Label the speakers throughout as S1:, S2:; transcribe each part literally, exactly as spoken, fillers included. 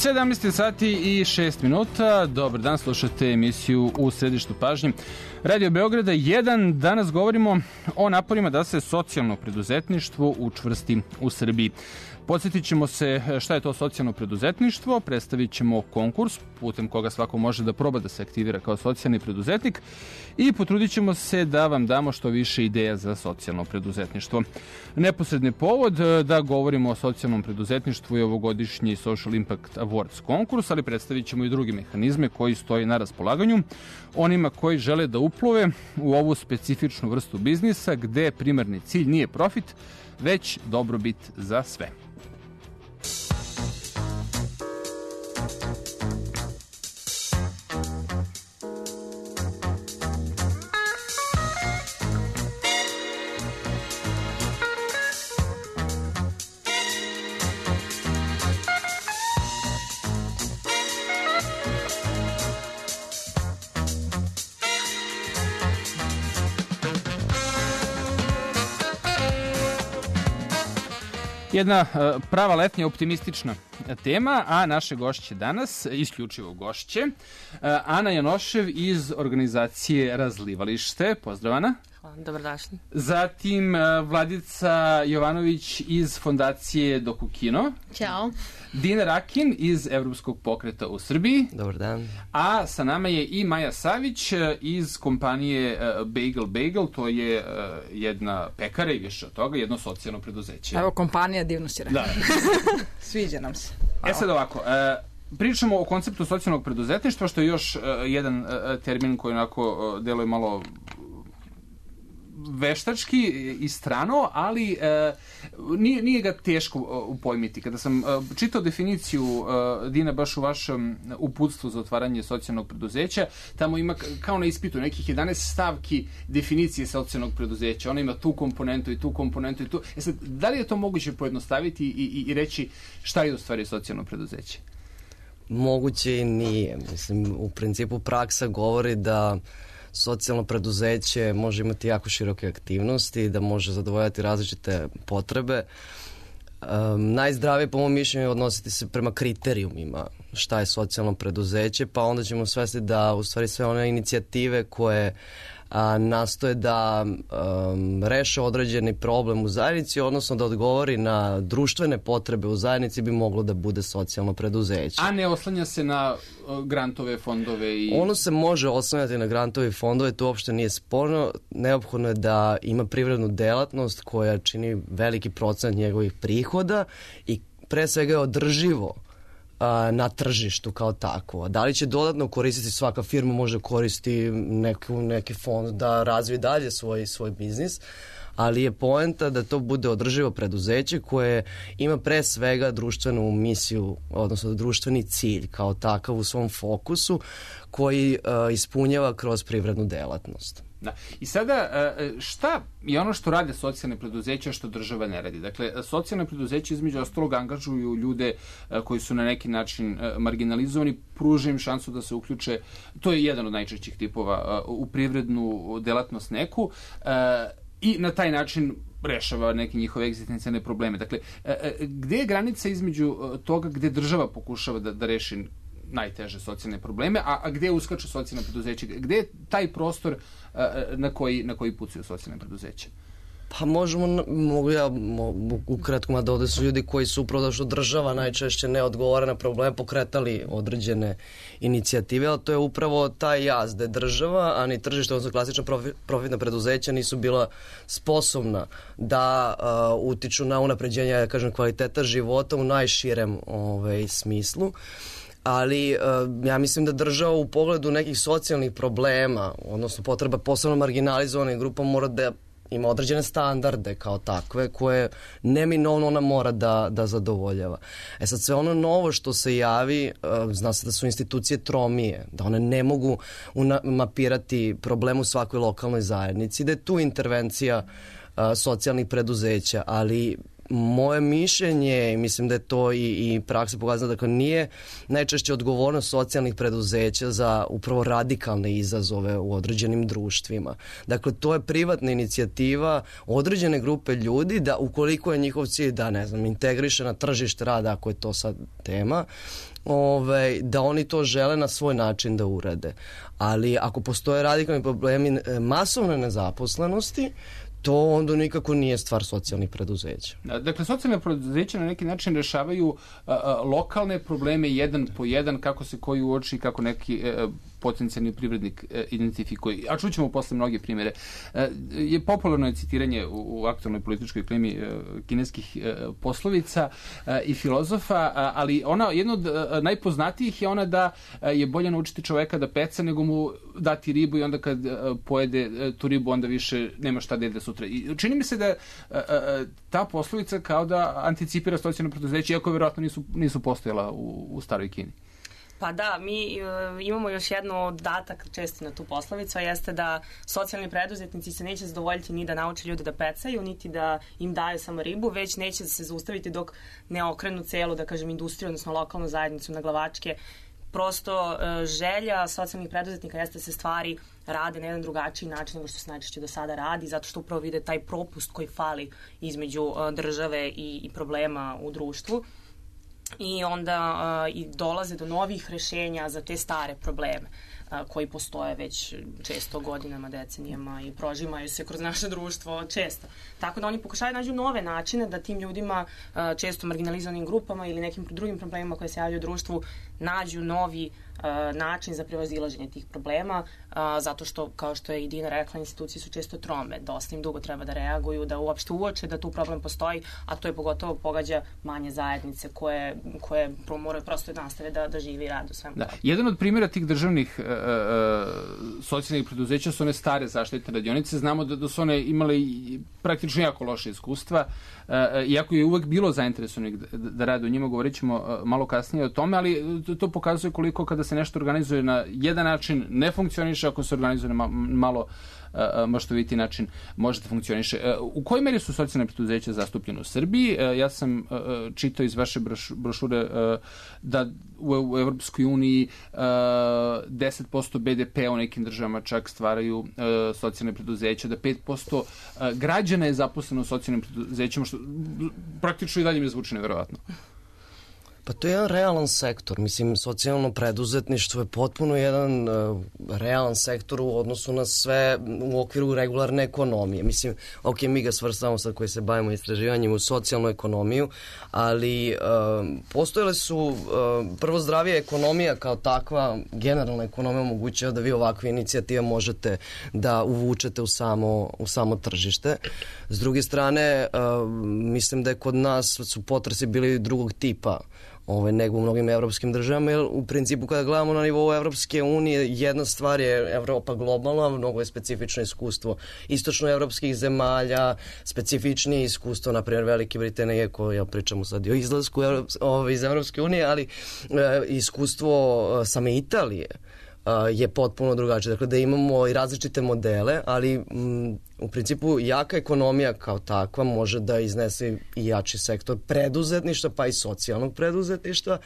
S1: sedamnaest sati i šest minuta. Dobar dan, slušate emisiju U središtu pažnje Radio Beograda jedan. Danas govorimo o naporima da se socijalno preduzetništvo učvrsti u Srbiji. Podsjetit ćemo se šta je to socijalno preduzetništvo, predstavit ćemo konkurs putem koga svako može da proba da se aktivira kao socijalni preduzetnik i potrudit ćemo se da vam damo što više ideja za socijalno preduzetništvo. Neposredni povod da govorimo o socijalnom preduzetništvu je ovogodišnji Social Impact Awards konkurs, ali predstavit ćemo i druge mehanizme koji stoji na raspolaganju onima koji žele da uplove u ovu specifičnu vrstu biznisa gde primarni cilj nije profit, već dobrobit za sve. Jedna prava letnja optimistična tema, a naše gošće danas, isključivo gošće, Ana Janošev iz organizacije Razlivalište. Pozdrav, Ana.
S2: Hvala, dobrodošli.
S1: Zatim Vladica Jovanović iz fondacije Dokukino.
S3: Ćao.
S1: Dina Rakin iz Evropskog pokreta u Srbiji.
S4: Dobar dan.
S1: A sa nama je i Maja Savić iz kompanije Bagel Bagel, to je jedna pekara i više od toga, jedno socijalno preduzeće.
S3: Evo, kompanija, divno si rekao.
S1: Da.
S3: Sviđa nam se.
S1: E sad ovako, pričamo o konceptu socijalnog preduzetništva, što je još jedan termin koji onako deluje malo veštački i strano, ali e, nije, nije ga teško upojmiti. Kada sam e, čitao definiciju e, Dina baš u vašem uputstvu za otvaranje socijalnog preduzeća, tamo ima kao na ispitu nekih jedanaest stavki definicije socijalnog preduzeća. Ona ima tu komponentu i tu komponentu i tu. E sad, da li je to moguće pojednostaviti i, i, i reći šta je u stvari socijalno preduzeće?
S4: Moguće i nije. Mislim, u principu praksa govori da socijalno preduzeće može imati jako široke aktivnosti, da može zadovoljati različite potrebe. Um, najzdravije, po mom mišljenju, je odnositi se prema kriterijumima šta je socijalno preduzeće, pa onda ćemo svesti da u stvari sve one inicijative koje a, nastoje da um, reše određeni problem u zajednici, odnosno da odgovori na društvene potrebe u zajednici, bi moglo da bude socijalno preduzeće.
S1: A ne oslanja se na uh, grantove, fondove i...
S4: Ono se može oslanjati na grantove i fondove, to uopšte nije sporno. Neophodno je da ima privrednu delatnost koja čini veliki procent njegovih prihoda i pre svega je održivo na tržištu kao takvo. Da li će dodatno koristiti, svaka firma može koristiti neku, neki fond da razvije dalje svoj, svoj biznis, ali je poenta da to bude održivo preduzeće koje ima pre svega društvenu misiju, odnosno društveni cilj kao takav u svom fokusu koji uh, ispunjava kroz privrednu delatnost.
S1: Da. I sada, šta je ono što rade socijalne preduzeća što država ne radi? Dakle, socijalne preduzeća između ostalog angažuju ljude koji su na neki način marginalizovani, pruža im šansu da se uključe, to je jedan od najčešćih tipova, u privrednu delatnost neku i na taj način rešava neke njihove egzistencijalne probleme. Dakle, gde je granica između toga gde država pokušava da, da reši najteže socijalne probleme, a, a gde uskaču socijalne preduzeće? Gde je taj prostor a, na koji, na koji pucaju socijalne preduzeće?
S4: Pa možemo, mogu ja mogu ukratko, mada ovde su ljudi koji su upravo da što država najčešće ne odgovara na probleme, pokretali određene inicijative, ali to je upravo taj jaz da je država, a ni tržište, odnosno klasična profitna preduzeća nisu bila sposobna da uh, utiču na unapređenje, ja kažem, kvaliteta života u najširem ovaj, smislu. Ali uh, ja mislim da država u pogledu nekih socijalnih problema, odnosno potreba posebno marginalizovanih grupa, mora da ima određene standarde kao takve koje neminovno ona mora da, da zadovoljava. E sad, sve ono novo što se javi, uh, zna se da su institucije tromije, da one ne mogu una- mapirati problem u svakoj lokalnoj zajednici, da je tu intervencija uh, socijalnih preduzeća, ali moje mišljenje, mislim da je to i, i praksa pokazala, dakle nije najčešće odgovornost socijalnih preduzeća za upravo radikalne izazove u određenim društvima. Dakle, to je privatna inicijativa određene grupe ljudi da ukoliko je njihov cilj da, ne znam, integriše na tržište rada, ako je to sad tema, Ove, da oni to žele na svoj način da urade. Ali ako postoje radikalni problemi masovne nezaposlenosti, to onda nikako nije stvar socijalnih preduzeća.
S1: Dakle, socijalne preduzeća na neki način rešavaju a, a, lokalne probleme jedan po jedan, kako se koji uoči, kako neki a, potencijalni privrednik a, identifikuje. A čućemo posle mnoge primjere. A, je popularno je citiranje u, u aktualnoj političkoj klimi a, kineskih a, poslovica a, i filozofa, a, ali ona, jedna od a, najpoznatijih je ona da a, je bolje naučiti čoveka da peca nego mu dati ribu i onda kad a, pojede a, tu ribu onda više nema šta da jede sutra. I čini mi se da a, a, ta poslovica kao da anticipira socijalno preduzeće, iako vjerojatno nisu, nisu postojala u, u staroj Kini.
S2: Pa da, mi uh, imamo još jedno dodatak često na tu poslovicu, a jeste da socijalni preduzetnici se neće zadovoljiti ni da nauče ljude da pecaju, niti da im daju samo ribu, već neće se zaustaviti dok ne okrenu celu, da kažem, industriju, odnosno lokalnu zajednicu na glavačke. Prosto uh, želja socijalnih preduzetnika jeste da se stvari rade na jedan drugačiji način nego što se najčešće do sada radi, zato što upravo vide taj propust koji fali između uh, države i, i problema u društvu. I onda uh, i dolaze do novih rešenja za te stare probleme uh, koji postoje već često godinama, decenijama i prožimaju se kroz naše društvo često. Tako da oni pokušavaju nađu nove načine da tim ljudima, uh, često marginalizovanim grupama ili nekim drugim problemima koje se javljaju u društvu, nađu novi uh, način za prevazilaženje tih problema, uh, zato što, kao što je i Dina rekla, institucije su često trome, dosta im dugo treba da reaguju, da uopšte uoče da tu problem postoji, a to je pogotovo pogađa manje zajednice koje, koje moraju prosto nastave da, da žive i rade u svemu.
S1: Da. Jedan od primjera tih državnih uh, uh, socijalnih preduzeća su one stare zaštitne radionice. Znamo da, da su one imale praktično jako loše iskustva, uh, iako je uvek bilo zainteresovanih da, da rade u njima, govorit ćemo uh, malo kasnije o tome, ali to, to pokazuje koliko kada se nešto organizuje na jedan način ne funkcioniše, ako se organizuje na malo uh, maštoviti način može da funkcioniše. Uh, u kojoj meri su socijalne preduzeća zastupljene u Srbiji? Uh, ja sam uh, čitao iz vaše broš, brošure uh, da u, u Evropskoj uniji uh, deset posto be de pe u nekim državama čak stvaraju uh, socijalne preduzeća, da pet posto uh, građana je zaposleno u socijalnim preduzećima, što praktično i dalje mi zvuči neverovatno.
S4: Pa to je jedan realan sektor. Mislim, socijalno preduzetništvo je potpuno jedan uh, realan sektor u odnosu na sve u okviru regularne ekonomije. Mislim, ok, mi ga svrstavamo sad koji se bavimo istraživanjem u socijalnu ekonomiju, ali uh, postojale su uh, prvo zdravija ekonomija kao takva, generalna ekonomija omogućava da vi ovakve inicijative možete da uvučete u samo, u samo tržište. S druge strane, uh, mislim da je kod nas su potresi bili drugog tipa Ove, nego u mnogim evropskim državama, jer u principu kada gledamo na nivou Evropske unije, jedna stvar je Evropa globalna, mnogo je specifično iskustvo istočnoevropskih zemalja, specifičnije iskustvo, na primjer Velike Britanije, koje ja pričamo sad i o izlasku ove, iz Evropske unije, ali e, iskustvo same Italije je potpuno drugačije. Dakle, da imamo i različite modele, ali m, u principu jaka ekonomija kao takva može da iznese i jači sektor preduzetništva, pa i socijalnog preduzetništva.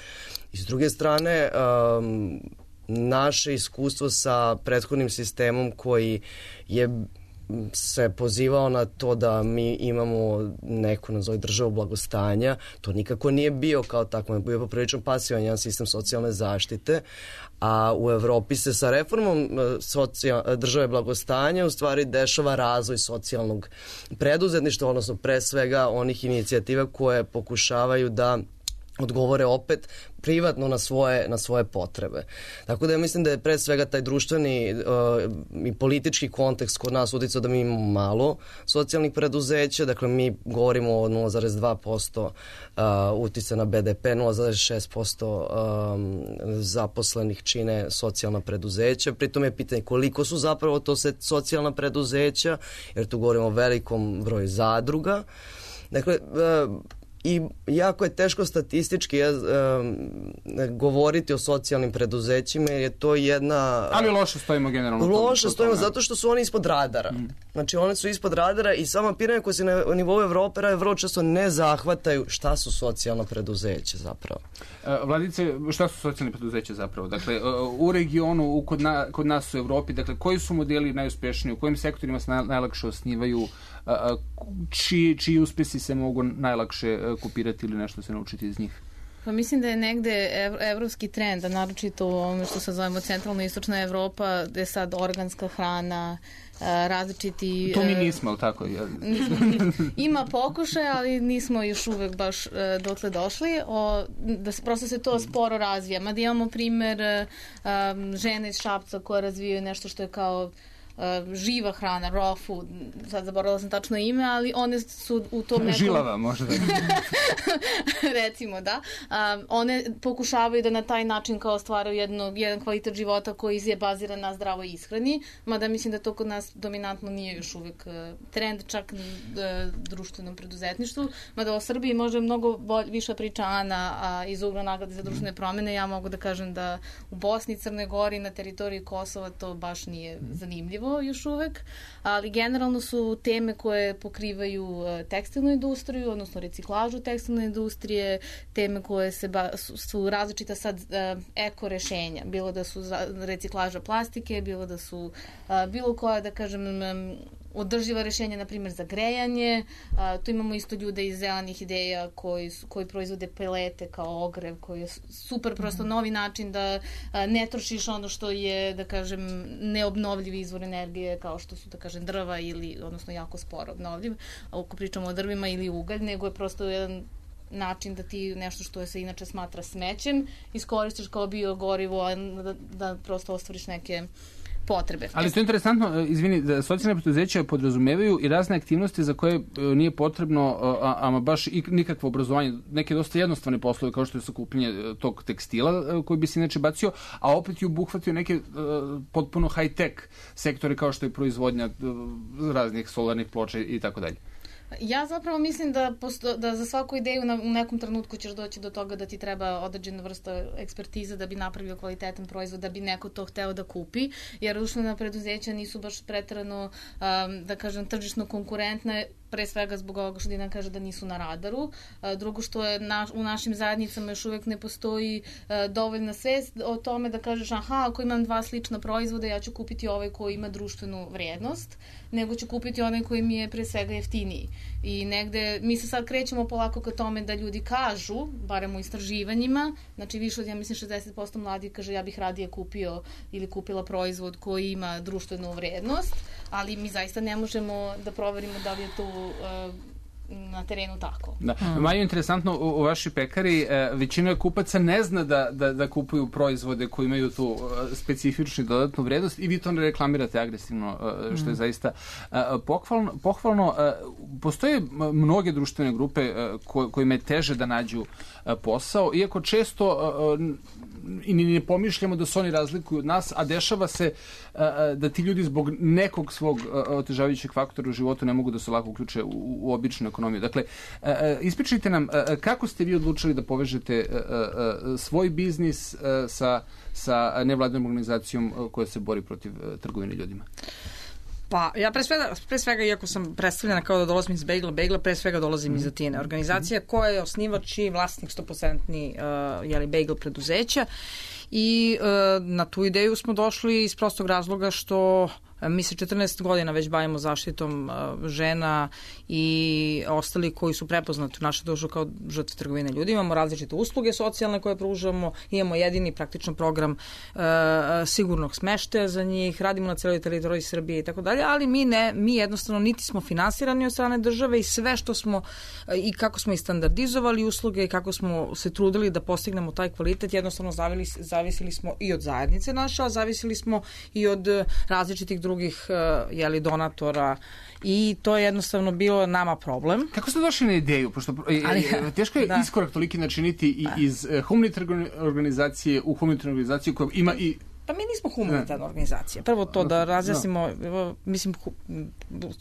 S4: I s druge strane, um, naše iskustvo sa prethodnim sistemom koji je se pozivao na to da mi imamo neku, nazove, državu blagostanja, to nikako nije bio kao tako, je bio poprilično pasivan jedan sistem socijalne zaštite, a u Evropi se sa reformom socijal, države blagostanja u stvari dešava razvoj socijalnog preduzetništva, odnosno pre svega onih inicijativa koje pokušavaju da odgovore opet privatno na svoje, na svoje potrebe. Tako da ja mislim da je pre svega taj društveni uh, i politički kontekst kod nas uticao da mi imamo malo socijalnih preduzeća, dakle mi govorimo o nula zarez dva posto uh, uticaja na be de pe, nula zarez šest posto um, zaposlenih čine socijalna preduzeća, pritom je pitanje koliko su zapravo to socijalna preduzeća, jer tu govorimo o velikom broju zadruga. Dakle, uh, i jako je teško statistički um, govoriti o socijalnim preduzećima jer je to jedna...
S1: Ali loše stojimo generalno.
S4: Loše stojimo zato što su oni ispod radara. Mm. Znači oni su ispod radara i sama pitanja koje se na nivou Evrope rade vrlo često ne zahvataju šta su socijalna preduzeća zapravo.
S1: Vladice, šta su socijalne preduzeća zapravo? Dakle, u regionu, kod, na, kod nas u Evropi, dakle, koji su modeli najuspešniji, u kojim sektorima se najlakše osnivaju, čiji, čiji uspesi se mogu najlakše kopirati ili nešto se naučiti iz njih?
S5: Pa mislim da je negde ev, evropski trend, a naročito u ovome što se zovemo centralna i istočna Evropa, gde je sad organska hrana, različiti...
S1: To mi nismo, ali tako?
S5: Ima pokušaj, ali nismo još uvek baš dotle došli. O, da se, prosto se to sporo razvija. Mada imamo primer um, žene iz Šapca koje razvijaju nešto što je kao Uh, živa hrana, raw food, sad zaboravila sam tačno ime, ali one su u tom nekom...
S1: Žilava, možda.
S5: Recimo, da. Um, one pokušavaju da na taj način kao stvaraju jedno, jedan kvalitet života koji je baziran na zdravoj ishrani, mada mislim da to kod nas dominantno nije još uvek uh, trend, čak ni uh, društvenom preduzetništvu, mada o Srbiji može mnogo bolj, više priča Ana a, iz ugla nagrade za društvene promene. Ja mogu da kažem da u Bosni, Crnoj Gori, na teritoriji Kosova to baš nije zanimljivo još uvek, ali generalno su teme koje pokrivaju tekstilnu industriju, odnosno reciklažu tekstilne industrije, teme koje se ba, su, su različita sad eko rešenja, bilo da su reciklaža plastike, bilo da su bilo koja, da kažem, održiva rešenja, na primjer, za grejanje. A, tu imamo isto ljude iz zelenih ideja koji, koji proizvode pelete kao ogrev, koji je super, prosto novi način da a, ne trošiš ono što je, da kažem, neobnovljivi izvor energije, kao što su, da kažem, drva ili, odnosno, jako sporo obnovljiv, ako pričamo o drvima ili ugalj, nego je prosto jedan način da ti nešto što se inače smatra smećem iskoristiš kao biogorivo, da, da prosto ostvariš neke potrebe.
S1: Ali to je interesantno, izvini, da socijalne preduzeća podrazumevaju i razne aktivnosti za koje nije potrebno ama baš i nikakvo obrazovanje, neke dosta jednostavne poslove kao što je sakupljanje tog tekstila koji bi se inače bacio, a opet i obuhvatio neke uh, potpuno high-tech sektore kao što je proizvodnja uh, raznih solarnih ploča i tako dalje.
S5: Ja zapravo mislim da, posto, da za svaku ideju na, u nekom trenutku ćeš doći do toga da ti treba određena vrsta ekspertize da bi napravio kvalitetan proizvod, da bi neko to hteo da kupi, jer društvena preduzeća nisu baš preterano, um, da kažem, tržišno konkurentne, pre svega zbog ovoga što Dina kaže da nisu na radaru. Drugo što je na, u našim zajednicama još uvek ne postoji uh, dovoljna svest o tome da kažeš aha, ako imam dva slična proizvoda, ja ću kupiti ovaj koji ima društvenu vrijednost, nego ću kupiti onaj koji mi je pre svega jeftiniji. I negde, mi se sad krećemo polako ka tome da ljudi kažu, barem u istraživanjima, znači više od, ja mislim, šezdeset posto mladih kaže ja bih radije kupio ili kupila proizvod koji ima društvenu vrijednost, ali mi zaista ne možemo da proverimo da li je to uh, na terenu tako.
S1: Da. Hmm. Maju, interesantno, u, u vašoj pekari e, većina kupaca ne zna da, da, da kupuju proizvode koji imaju tu e, specifičnu dodatnu vrednost i vi to ne reklamirate agresivno, e, što je zaista e, pohvalno. pohvalno e, postoje mnoge društvene grupe e, ko, kojima je teže da nađu e, posao, iako često e, i ne pomišljamo da se oni razlikuju od nas, a dešava se uh, da ti ljudi zbog nekog svog uh, otežavajućeg faktora u životu ne mogu da se lako uključe u, u običnu ekonomiju. Dakle, uh, ispričajte nam uh, kako ste vi odlučili da povežete uh, uh, svoj biznis uh, sa, sa nevladinom organizacijom uh, koja se bori protiv uh, trgovine ljudima?
S3: Pa, ja pre svega, pre svega, iako sam predstavljena kao da dolazim iz Bagla, Bagla pre svega dolazim mm. iz Atine. Organizacija koja je osnivač i vlasnik sto posto uh, jeli, Bagel preduzeća i uh, na tu ideju smo došli iz prostog razloga što mi se četrnaest godina već bavimo zaštitom uh, žena i ostali koji su prepoznati u našoj društvu kao žrtve trgovine ljudi. Imamo različite usluge socijalne koje pružamo, imamo jedini praktično program uh, sigurnog smeštaja za njih, radimo na celoj teritoriji Srbije i tako dalje, ali mi ne, mi jednostavno niti smo finansirani od strane države i sve što smo uh, i kako smo i standardizovali usluge i kako smo se trudili da postignemo taj kvalitet, jednostavno zavili, zavisili smo i od zajednice naše, a zavisili smo i od uh, različitih drugih uh, jeli, donatora i to je jednostavno bilo nama problem.
S1: Kako ste došli na ideju? Pošto ali, teško je da. iskorak toliki načiniti i iz uh, humanitarne organizacije u humanitarnu organizaciju koja ima i
S3: Pa mi nismo humanitarna organizacija. Prvo to da razjasnimo, no. mislim, hu,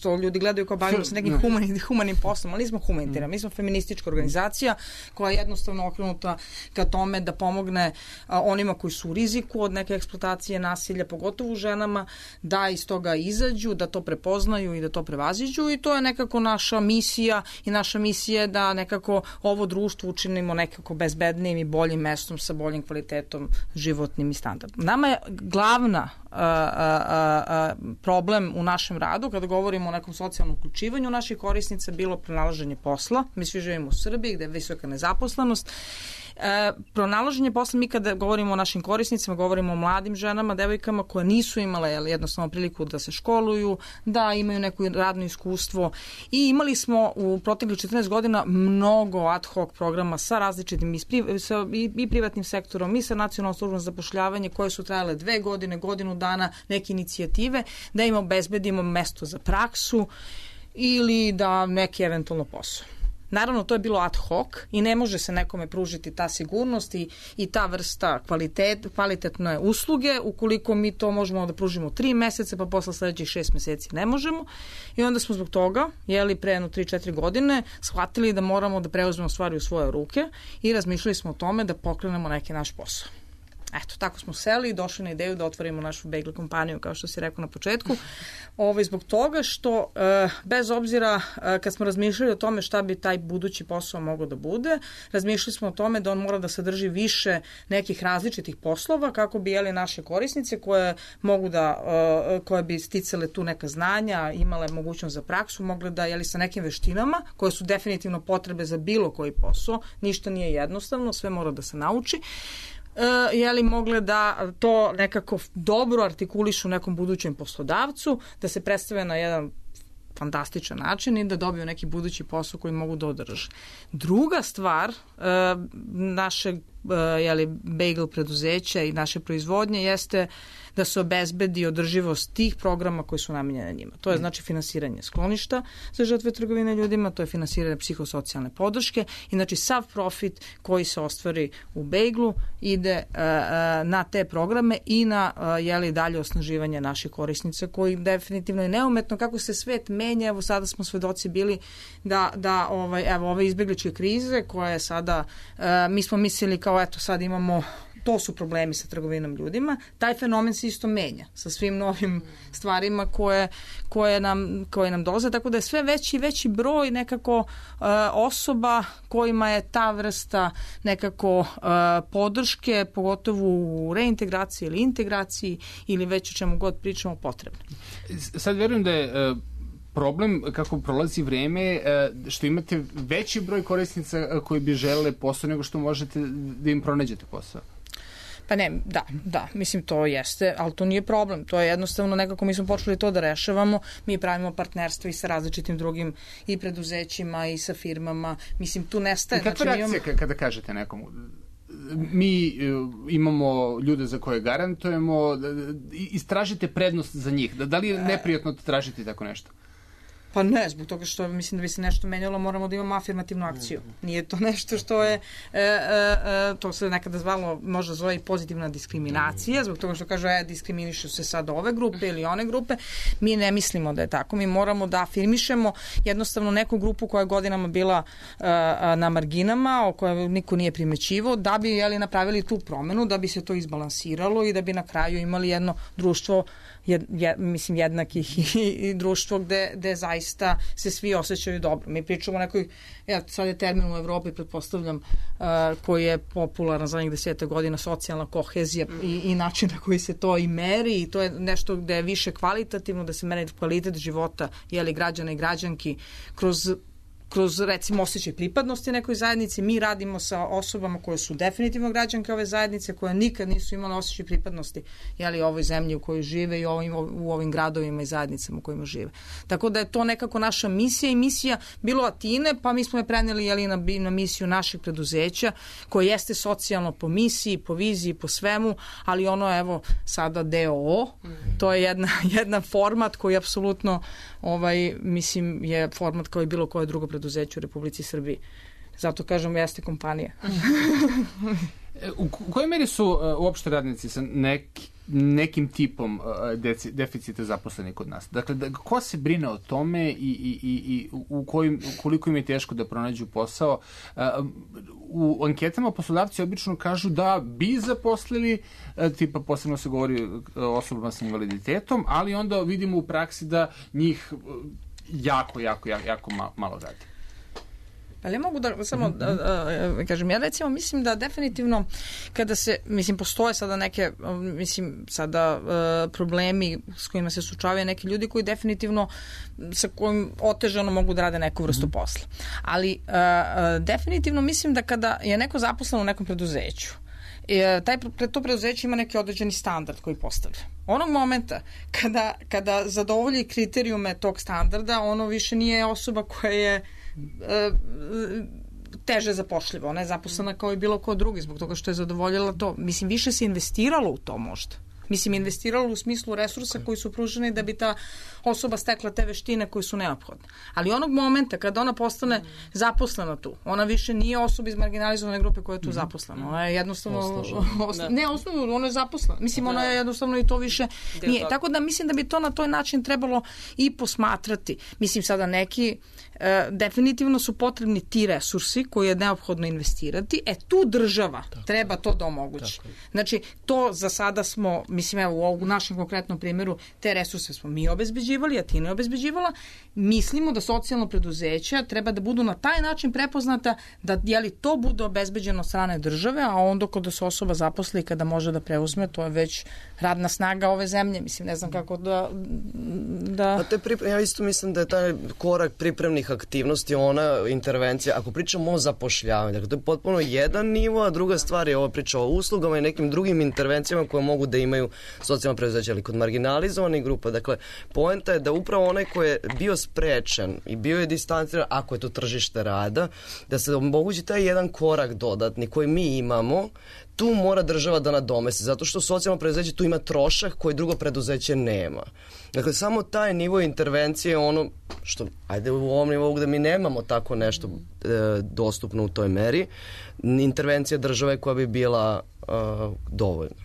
S3: to ljudi gledaju kao bavimo se nekim no. humanim, humanim poslom, ali nismo humanitarna. Mi smo feministička organizacija koja je jednostavno okrenuta ka tome da pomogne a, onima koji su u riziku od neke eksploatacije, nasilja, pogotovo ženama, da iz toga izađu, da to prepoznaju i da to prevaziđu i to je nekako naša misija i naša misija je da nekako ovo društvo učinimo nekako bezbednijim i boljim mestom sa boljim kvalitetom životnim i standardom. Nama je glavna a, a, a, problem u našem radu, kada govorimo o nekom socijalnom uključivanju naših korisnica, bilo pronalaženje posla. Mi svi živimo u Srbiji gde je visoka nezaposlenost. E, pronalaženje posla, mi kada govorimo o našim korisnicima, govorimo o mladim ženama, devojkama koje nisu imale jednostavno priliku da se školuju, da imaju neko radno iskustvo i imali smo u proteklih četrnaest godina mnogo ad hoc programa sa različitim i, sa, i, i privatnim sektorom i sa nacionalnom službom za zapošljavanje koje su trajale dve godine, godinu dana, neke inicijative da im obezbedimo mesto za praksu ili da neki eventualno posao. Naravno, to je bilo ad hoc i ne može se nekome pružiti ta sigurnost i, i ta vrsta kvalitet, kvalitetne usluge ukoliko mi to možemo da pružimo tri meseca, pa posle sledećih šest meseci ne možemo. I onda smo zbog toga, jeli pre jedno tri četiri godine, shvatili da moramo da preuzmemo stvari u svoje ruke i razmišljali smo o tome da pokrenemo neki naš posao. Eto, tako smo seli i došli na ideju da otvorimo našu bagel kompaniju, kao što si rekao na početku. Ovo, zbog toga što, e, bez obzira, e, kad smo razmišljali o tome šta bi taj budući posao mogao da bude, razmišljali smo o tome da on mora da sadrži više nekih različitih poslova, kako bi jeli naše korisnice koje mogu da, e, koje bi sticale tu neka znanja, imale mogućnost za praksu, mogle da jeli sa nekim veštinama, koje su definitivno potrebe za bilo koji posao, ništa nije jednostavno, sve mora da se nauči. Uh, je li mogle da to nekako dobro artikulišu nekom budućem poslodavcu, da se predstave na jedan fantastičan način i da dobiju neki budući posao koji mogu da održe. Druga stvar uh, našeg uh, je li, bagel preduzeća i naše proizvodnje jeste da se obezbedi održivost tih programa koji su namenjene njima. To je znači finansiranje skloništa za žrtve trgovine ljudima, to je finansiranje psihosocijalne podrške i znači sav profit koji se ostvari u bagelu ide uh, na te programe i na uh, jeli, dalje osnaživanje naših korisnica koji definitivno je neumetno kako se svet menja. Evo sada smo svedoci bili da, da ovaj, evo, ove izbegličke krize koje je sada, uh, mi smo mislili kao eto sad imamo to su problemi sa trgovinom ljudima, taj fenomen se isto menja sa svim novim stvarima koje, koje, nam, koje nam dolaze, tako da je sve veći i veći broj nekako uh, osoba kojima je ta vrsta nekako uh, podrške, pogotovo u reintegraciji ili integraciji ili već o čemu god pričamo potrebno.
S1: Sad verujem da je uh... problem kako prolazi vreme što imate veći broj korisnica koji bi želele posao nego što možete da im pronađete posao.
S3: Pa ne, da, da, mislim to jeste, ali to nije problem, to je jednostavno nekako mi smo počeli to da rešavamo, mi pravimo partnerstvo i sa različitim drugim i preduzećima i sa firmama, mislim tu nestaje.
S1: I kakva
S3: znači,
S1: reakcija
S3: imamo...
S1: kada kažete nekomu? Mi imamo ljude za koje garantujemo, istražite prednost za njih, da li je neprijatno tražiti tako nešto?
S3: Pa ne, zbog toga što mislim da bi se nešto menjalo, moramo da imamo afirmativnu akciju. Nije to nešto što je, e, e, to se nekada zvalo, možda zove i pozitivna diskriminacija, zbog toga što kažu, e, diskriminišu se sad ove grupe ili one grupe. Mi ne mislimo da je tako. Mi moramo da afirmišemo jednostavno neku grupu koja je godinama bila e, na marginama, o kojoj niko nije primećivao, da bi jeli, napravili tu promenu, da bi se to izbalansiralo i da bi na kraju imali jedno društvo Jed, jed, mislim jednakih i, i društvo gde, gde zaista se svi osjećaju dobro. Mi pričamo o nekoj, ja, sad je termin u Evropi, pretpostavljam, uh, koji je popularan za njih deseta godina, socijalna kohezija i, i način na koji se to i meri i to je nešto gde je više kvalitativno, da se meri kvalitet života jeli, građana i građanki kroz kroz recimo osjećaj pripadnosti nekoj zajednici. Mi radimo sa osobama koje su definitivno građanke ove zajednice, koje nikad nisu imale osjećaj pripadnosti jeli, ovoj zemlji u kojoj žive i ovim, u ovim gradovima i zajednicama u kojima žive. Tako da je to nekako naša misija i misija bilo Atine, pa mi smo je preneli jeli, na, na misiju našeg preduzeća koje jeste socijalno po misiji, po viziji, po svemu, ali ono evo sada D O O, to je jedna, jedan format koji apsolutno ovaj, mislim je format kao i bilo koje drugo preduzeće u Republici Srbiji. Zato kažem, jeste kompanija.
S1: U kojoj meri su uh, uopšte radnici sa neki, nekim tipom uh, deci, deficita zaposleni kod nas? Dakle, da, ko se brine o tome i, i, i, i u kojim, koliko im je teško da pronađu posao? Uh, u anketama poslodavci obično kažu da bi zaposlili, uh, tipa posebno se govori o osobama sa invaliditetom, ali onda vidimo u praksi da njih uh, jako, jako, jako, jako malo radi.
S3: Ali ja mogu da samo da, da, kažem, ja recimo mislim da definitivno kada se, mislim, postoje sada neke, mislim, sada uh, problemi s kojima se suočavaju neki ljudi koji definitivno sa kojim otežano mogu da rade neku vrstu posla. Ali uh, uh, definitivno mislim da kada je neko zaposlen u nekom preduzeću, taj, to preduzeće ima neki određeni standard koji postavlja. Onog momenta kada, kada zadovolji kriterijume tog standarda, ono više nije osoba koja je e, teže zapošljiva. Ona je zaposlena kao i bilo ko drugi zbog toga što je zadovoljila to. Mislim, više se investiralo u to možda. Mislim, investiralo u smislu resursa koji su pruženi da bi ta osoba stekla te veštine koje su neophodne. Ali onog momenta kada ona postane zaposlena tu, ona više nije osoba iz marginalizovane grupe koja je tu zaposlena. Ona je jednostavno... Osla, ne, osnovno, ona je zaposlena. Mislim, ona je jednostavno i to više nije. Tako da mislim da bi to na toj način trebalo i posmatrati. Mislim, sada neki e, definitivno su potrebni ti resursi koje je neophodno investirati. E, tu država tako treba to da omogući. Znači, to za sada smo, mislim, evo, u našem konkretnom primjeru, te resurse smo mi obezbeđivali, a ti ne obezbeđivala. Mislimo da socijalno preduzeća treba da budu na taj način prepoznata da, jeli, to bude obezbeđeno od strane države, a onda kada se osoba zaposli, kada može da preuzme, to je već radna snaga ove zemlje. Mislim, ne znam kako da... da...
S4: A te pripre... Ja isto mislim da je taj korak pripremnih aktivnosti, ona intervencija, ako pričamo o zapošljavanju, dakle, to je potpuno jedan nivo, a druga stvar je ova priča o uslugama i nekim drugim intervencijama koje mogu da imaju socijalno preduzeće, ali kod marginalizovanih grupa. Dakle, poenta je da upravo onaj koji je bio sprečen i bio je distanciran, ako je to tržište rada, da se omogući taj jedan korak dodatni koji mi imamo, tu mora država da nadomesti, zato što socijalno preduzeće tu ima trošak koji drugo preduzeće nema. Dakle, samo taj nivo intervencije je ono što, ajde u ovom nivou gde mi nemamo tako nešto e, dostupno u toj meri, intervencija države koja bi bila e, dovoljna.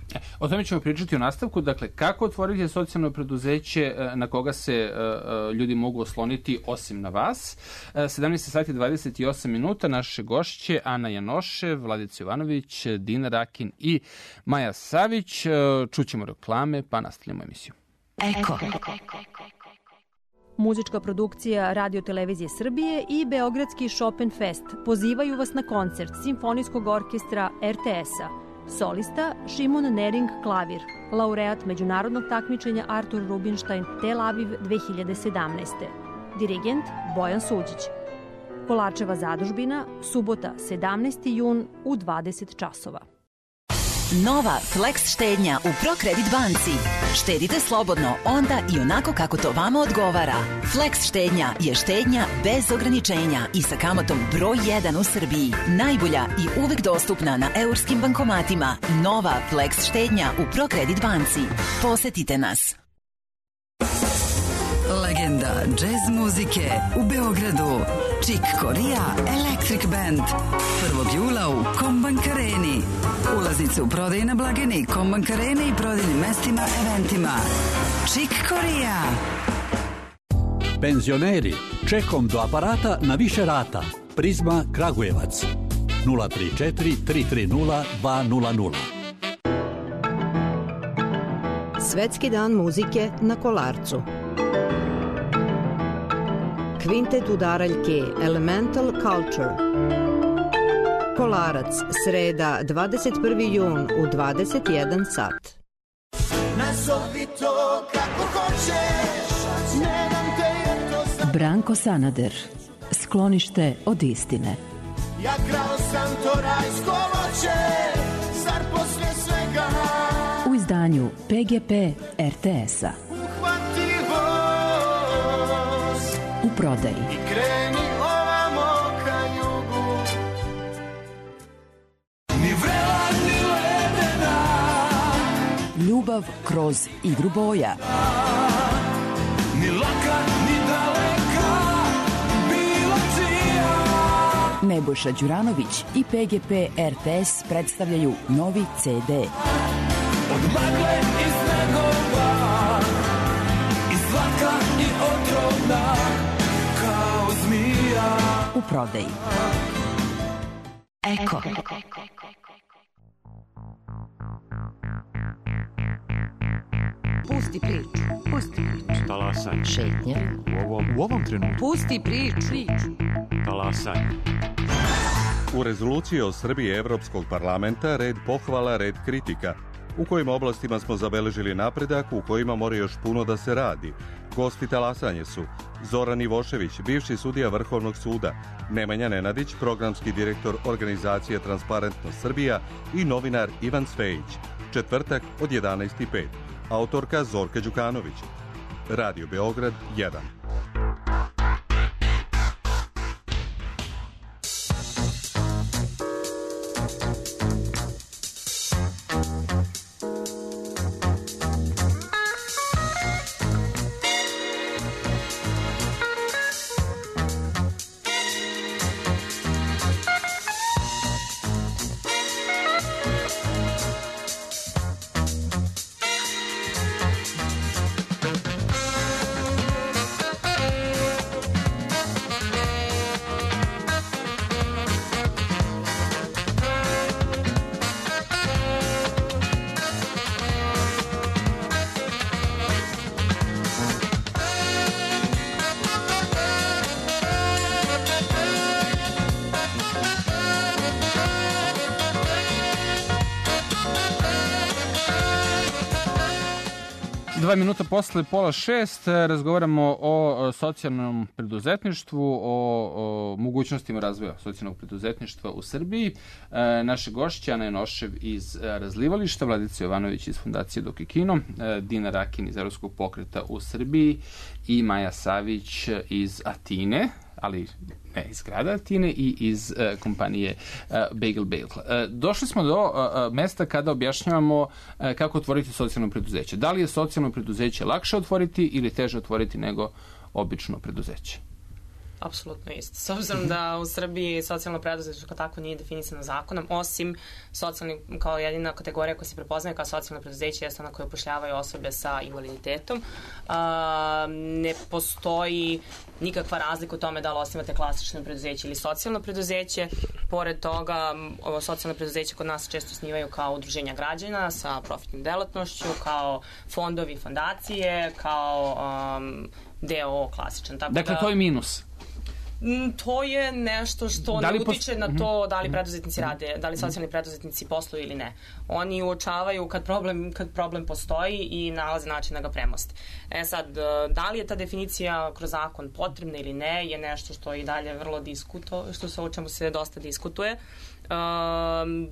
S1: O tome ćemo pričati u nastavku. Dakle, kako otvoriti socijalno preduzeće na koga se uh, ljudi mogu osloniti osim na vas. Uh, sedamnaest sati dvadeset osam minuta. Naše gošće Ana Janošev, Vladica Jovanović, Dina Rakin i Maja Savić. Uh, čućemo reklame, pa nastavljamo emisiju.
S6: Eko. Muzička produkcija Radio Televizije Srbije i Beogradski Chopin Fest pozivaju vas na koncert Simfonijskog orkestra er te es-a. Solista Šimon Nering klavir, laureat međunarodnog takmičenja Artur Rubinstein Tel Aviv dve hiljade sedamnaeste. Dirigent Bojan Suđić. Kolarčeva zadužbina, subota sedamnaesti jun u dvadeset časova.
S7: Nova Flex štednja u ProCredit banci. Štedite slobodno onda i onako kako to vama odgovara. Flex štednja je štednja bez ograničenja i sa kamatom broj jedan u Srbiji. Najbolja i uvek dostupna na eurskim bankomatima. Nova Flex štednja u ProCredit banci. Posetite nas.
S8: Legenda džez muzike u Beogradu. Chick Corea Electric Band. prvog jula u Kombank Areni. Ulaznice u prodaju na blagajni Kombank Arene i prodajnim mestima, eventima. Chick Corea.
S9: Penzioneri, čekom do aparata na više rata. Prizma Kragujevac. nula tri četiri tri tri nula dva nula nula.
S10: Svetski dan muzike na Kolarcu. Kvintet udaraljke Elemental Culture. Kolarac, sreda, dvadeset prvi jun u dvadeset jedan sat.
S11: Nazovi to kako hoćeš, ne dam te jer to sam...
S12: Branko Sanader, sklonište od istine.
S11: Ja krao sam to rajsko voće, zar posle svega...
S12: U izdanju pe ge pe er te es-a. U prodaji.
S11: I kreni ovamo ka jugu. Ni vrela, ni ledena.
S12: Ljubav kroz igru boja.
S11: Ni laka, ni daleka, bila čija.
S12: Ne Nebojša Đuranović i P G P R T S predstavljaju novi C D.
S11: Od magle i snegova, i slatka i otrovna, kao zmija.
S12: U prodaji. Eko.
S13: Pusti priču, pusti priču.
S14: Talasaj.
S13: Šetnja.
S14: U ovom, u ovom trenutku.
S13: Pusti priču.
S14: Talasaj.
S15: U rezoluciji o Srbiji Evropskog parlamenta red pohvala, red kritika. U kojim oblastima smo zabeležili napredak, u kojima mora još puno da se radi. Gosti talasanje su Zoran Ivošević, bivši sudija Vrhovnog suda, Nemanja Nenadić, programski direktor organizacije Transparentnost Srbija i novinar Ivan Cvejić. Četvrtak od jedanaest i pet. Autorka Zorka Đukanović. Radio Beograd jedan.
S1: Dva minuta posle pola šest razgovaramo o socijalnom preduzetništvu, o, o mogućnostima razvoja socijalnog preduzetništva u Srbiji. E, naše gošće Ana Janošev iz Razlivališta, Vladica Jovanović iz Fondacije Dok je kino, e, Dina Rakin iz Evropskog pokreta u Srbiji i Maja Savić iz Atine, ali ne iz grada Atine i iz uh, kompanije uh, Bagel Bagel. Uh, došli smo do uh, mesta kada objašnjavamo uh, kako otvoriti socijalno preduzeće. Da li je socijalno preduzeće lakše otvoriti ili teže otvoriti nego obično preduzeće?
S2: Apsolutno isto. S obzirom da u Srbiji socijalno preduzetništvo kao tako nije definisano zakonom, osim socijalni, kao jedina kategorija koja se prepoznaje kao socijalno preduzeće jeste ona koja upošljavaju osobe sa invaliditetom. A, ne postoji nikakva razlika u tome da li osnivate klasično preduzeće ili socijalno preduzeće. Pored toga, ovo socijalno preduzeće kod nas često osnivaju kao udruženja građana sa profitnim delatnošću, kao fondovi, fondacije, kao um, D O O klasičan. Tako
S1: dakle,
S2: da,
S1: to je minus.
S2: To je nešto što
S1: da
S2: ne
S1: post...
S2: utiče na to da li preduzetnici rade, da li socijalni preduzetnici posluju ili ne. Oni uočavaju kad problem, kad problem postoji i nalaze način da ga premoste. E sad, da li je ta definicija kroz zakon potrebna ili ne, je nešto što i dalje vrlo diskuto, što se o čemu se dosta diskutuje. Um,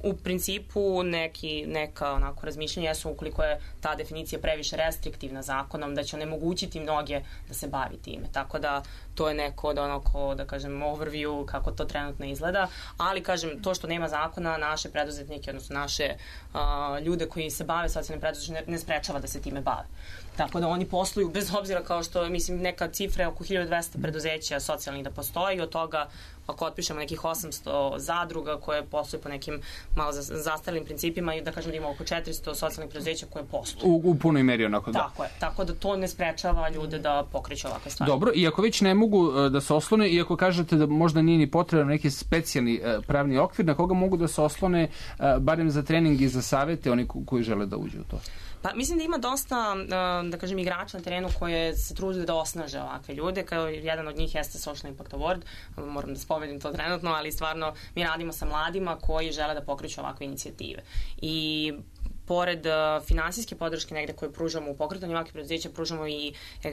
S2: U principu neki, neka onako razmišljanja jesu ukoliko je ta definicija previše restriktivna zakonom, da će onemogućiti mnoge da se bavi time. Tako da to je neko od onako, da kažem, overview kako to trenutno izgleda, ali kažem, to što nema zakona, naše preduzetnike, odnosno naše uh, ljude koji se bave socijalnim preduzetništvom ne, ne sprečava da se time bave. Tako da oni posluju, bez obzira kao što, mislim, neka cifra je oko hiljadu dvesta preduzeća socijalnih da postoji, od toga ako otpišemo nekih osamsto zadruga koje posluju po nekim malo zastarelim principima i da kažem da ima oko četiristo socijalnih preduzeća koje posluju.
S1: U, u punoj meri onako da.
S2: Tako je, tako da to ne sprečava ljude da pokreću ovakve stvari.
S1: Dobro, i ako već ne mogu da se oslone, i ako kažete da možda nije ni potreban neki specijalni pravni okvir, na koga mogu da se oslone barem za trening i za savete oni koji žele da uđu u to?
S2: Pa mislim da ima dosta, da kažem, igrača na terenu koje se trude da osnaže ovakve ljude, kao jedan od njih jeste Social Impact Award, moram da spomenem to trenutno, ali stvarno mi radimo sa mladima koji žele da pokreću ovakve inicijative. I pored uh, finansijske podrške negde koje pružamo u pokretanju ovakvih preduzeća, pružamo i uh,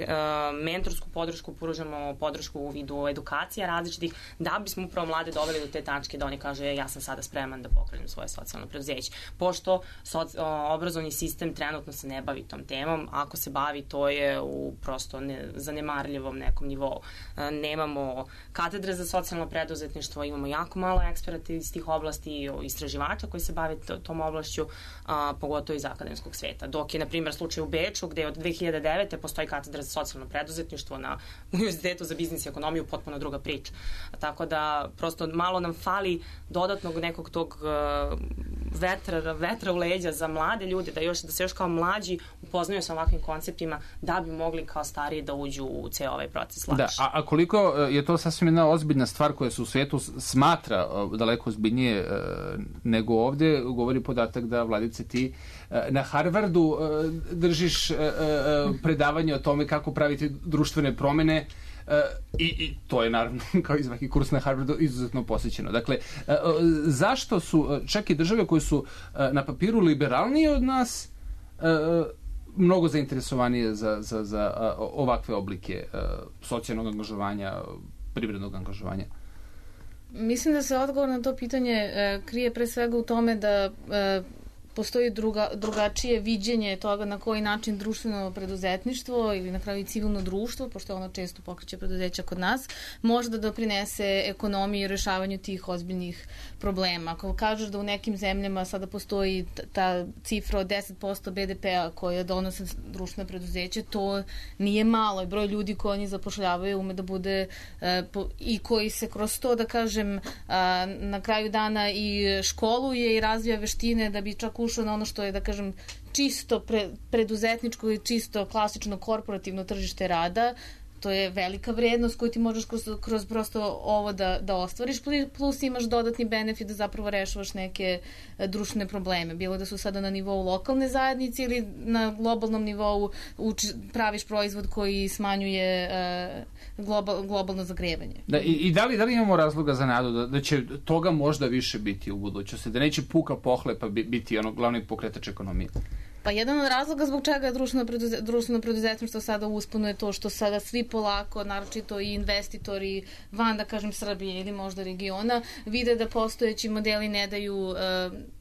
S2: mentorsku podršku, pružamo podršku u vidu edukacija različitih, da bismo upravo mlade doveli do te tačke da oni kažu e, ja sam sada spreman da pokrenem svoje socijalno preduzeće. Pošto soci, uh, obrazovni sistem trenutno se ne bavi tom temom, ako se bavi, to je u prosto ne, zanemarljivom nekom nivou. Uh, nemamo katedre za socijalno preduzetništvo, imamo jako malo eksperata iz tih oblasti, istraživača koji se bave tom oblašću, uh, pogotovo iz akademskog sveta. Dok je, na primjer, slučaj u Beču, gde od dve hiljade devete postoji katedra za socijalno preduzetništvo na Univerzitetu za biznis i ekonomiju, potpuno druga priča. Tako da, prosto malo nam fali dodatnog nekog tog uh, vetra, vetra u leđa za mlade ljude, da, još, da se još kao mlađi upoznaju sa ovakvim konceptima, da bi mogli kao stariji da uđu u ceo ovaj proces lakše.
S1: Da, a, a koliko je to sasvim jedna ozbiljna stvar koja se u svijetu smatra daleko ozbiljnije uh, nego ovde, govori podatak da, Vladice, ti uh, na Harvardu uh, držiš uh, uh, predavanje o tome kako praviti društvene promene. Uh, i, i to je naravno kao i svaki kurs na Harvardu izuzetno posjećeno. Dakle, uh, zašto su uh, čak i države koje su uh, na papiru liberalnije od nas uh, mnogo zainteresovanije za, za, za uh, ovakve oblike uh, socijalnog angažovanja, privrednog angažovanja?
S5: Mislim da se odgovor na to pitanje uh, krije pre svega u tome da uh, postoji druga, drugačije viđenje toga na koji način društveno preduzetništvo ili na kraju i civilno društvo, pošto ono često pokreće preduzeća kod nas, može da doprinese ekonomiji i rešavanju tih ozbiljnih problema. Ako kažeš da u nekim zemljama sada postoji ta cifra od deset posto be de pe-a koja donose društveno preduzeće, to nije malo. I broj ljudi koji oni zapošljavaju ume da bude e, po, i koji se kroz to, da kažem, a, na kraju dana i školuje i razvija veštine da bi čak ušao na ono što je, da kažem, čisto pre, preduzetničko i čisto klasično korporativno tržište rada. To je velika vrednost koju ti možeš kroz, kroz prosto ovo da, da ostvariš, plus imaš dodatni benefit da zapravo rešavaš neke društvene probleme. Bilo da su sada na nivou lokalne zajednice ili na globalnom nivou uči, praviš proizvod koji smanjuje uh, global, globalno zagrevanje.
S1: Da, i, i da, li, da li imamo razloga za nadu da, da će toga možda više biti u budućnosti? Da neće puka pohlepa biti ono glavni pokretač ekonomije?
S5: Pa jedan od razloga zbog čega društveno, preduze, društveno preduzetništvo sada uspuno je to što sada svi polako, naročito i investitori van, da kažem, Srbije ili možda regiona, vide da postojeći modeli ne daju uh,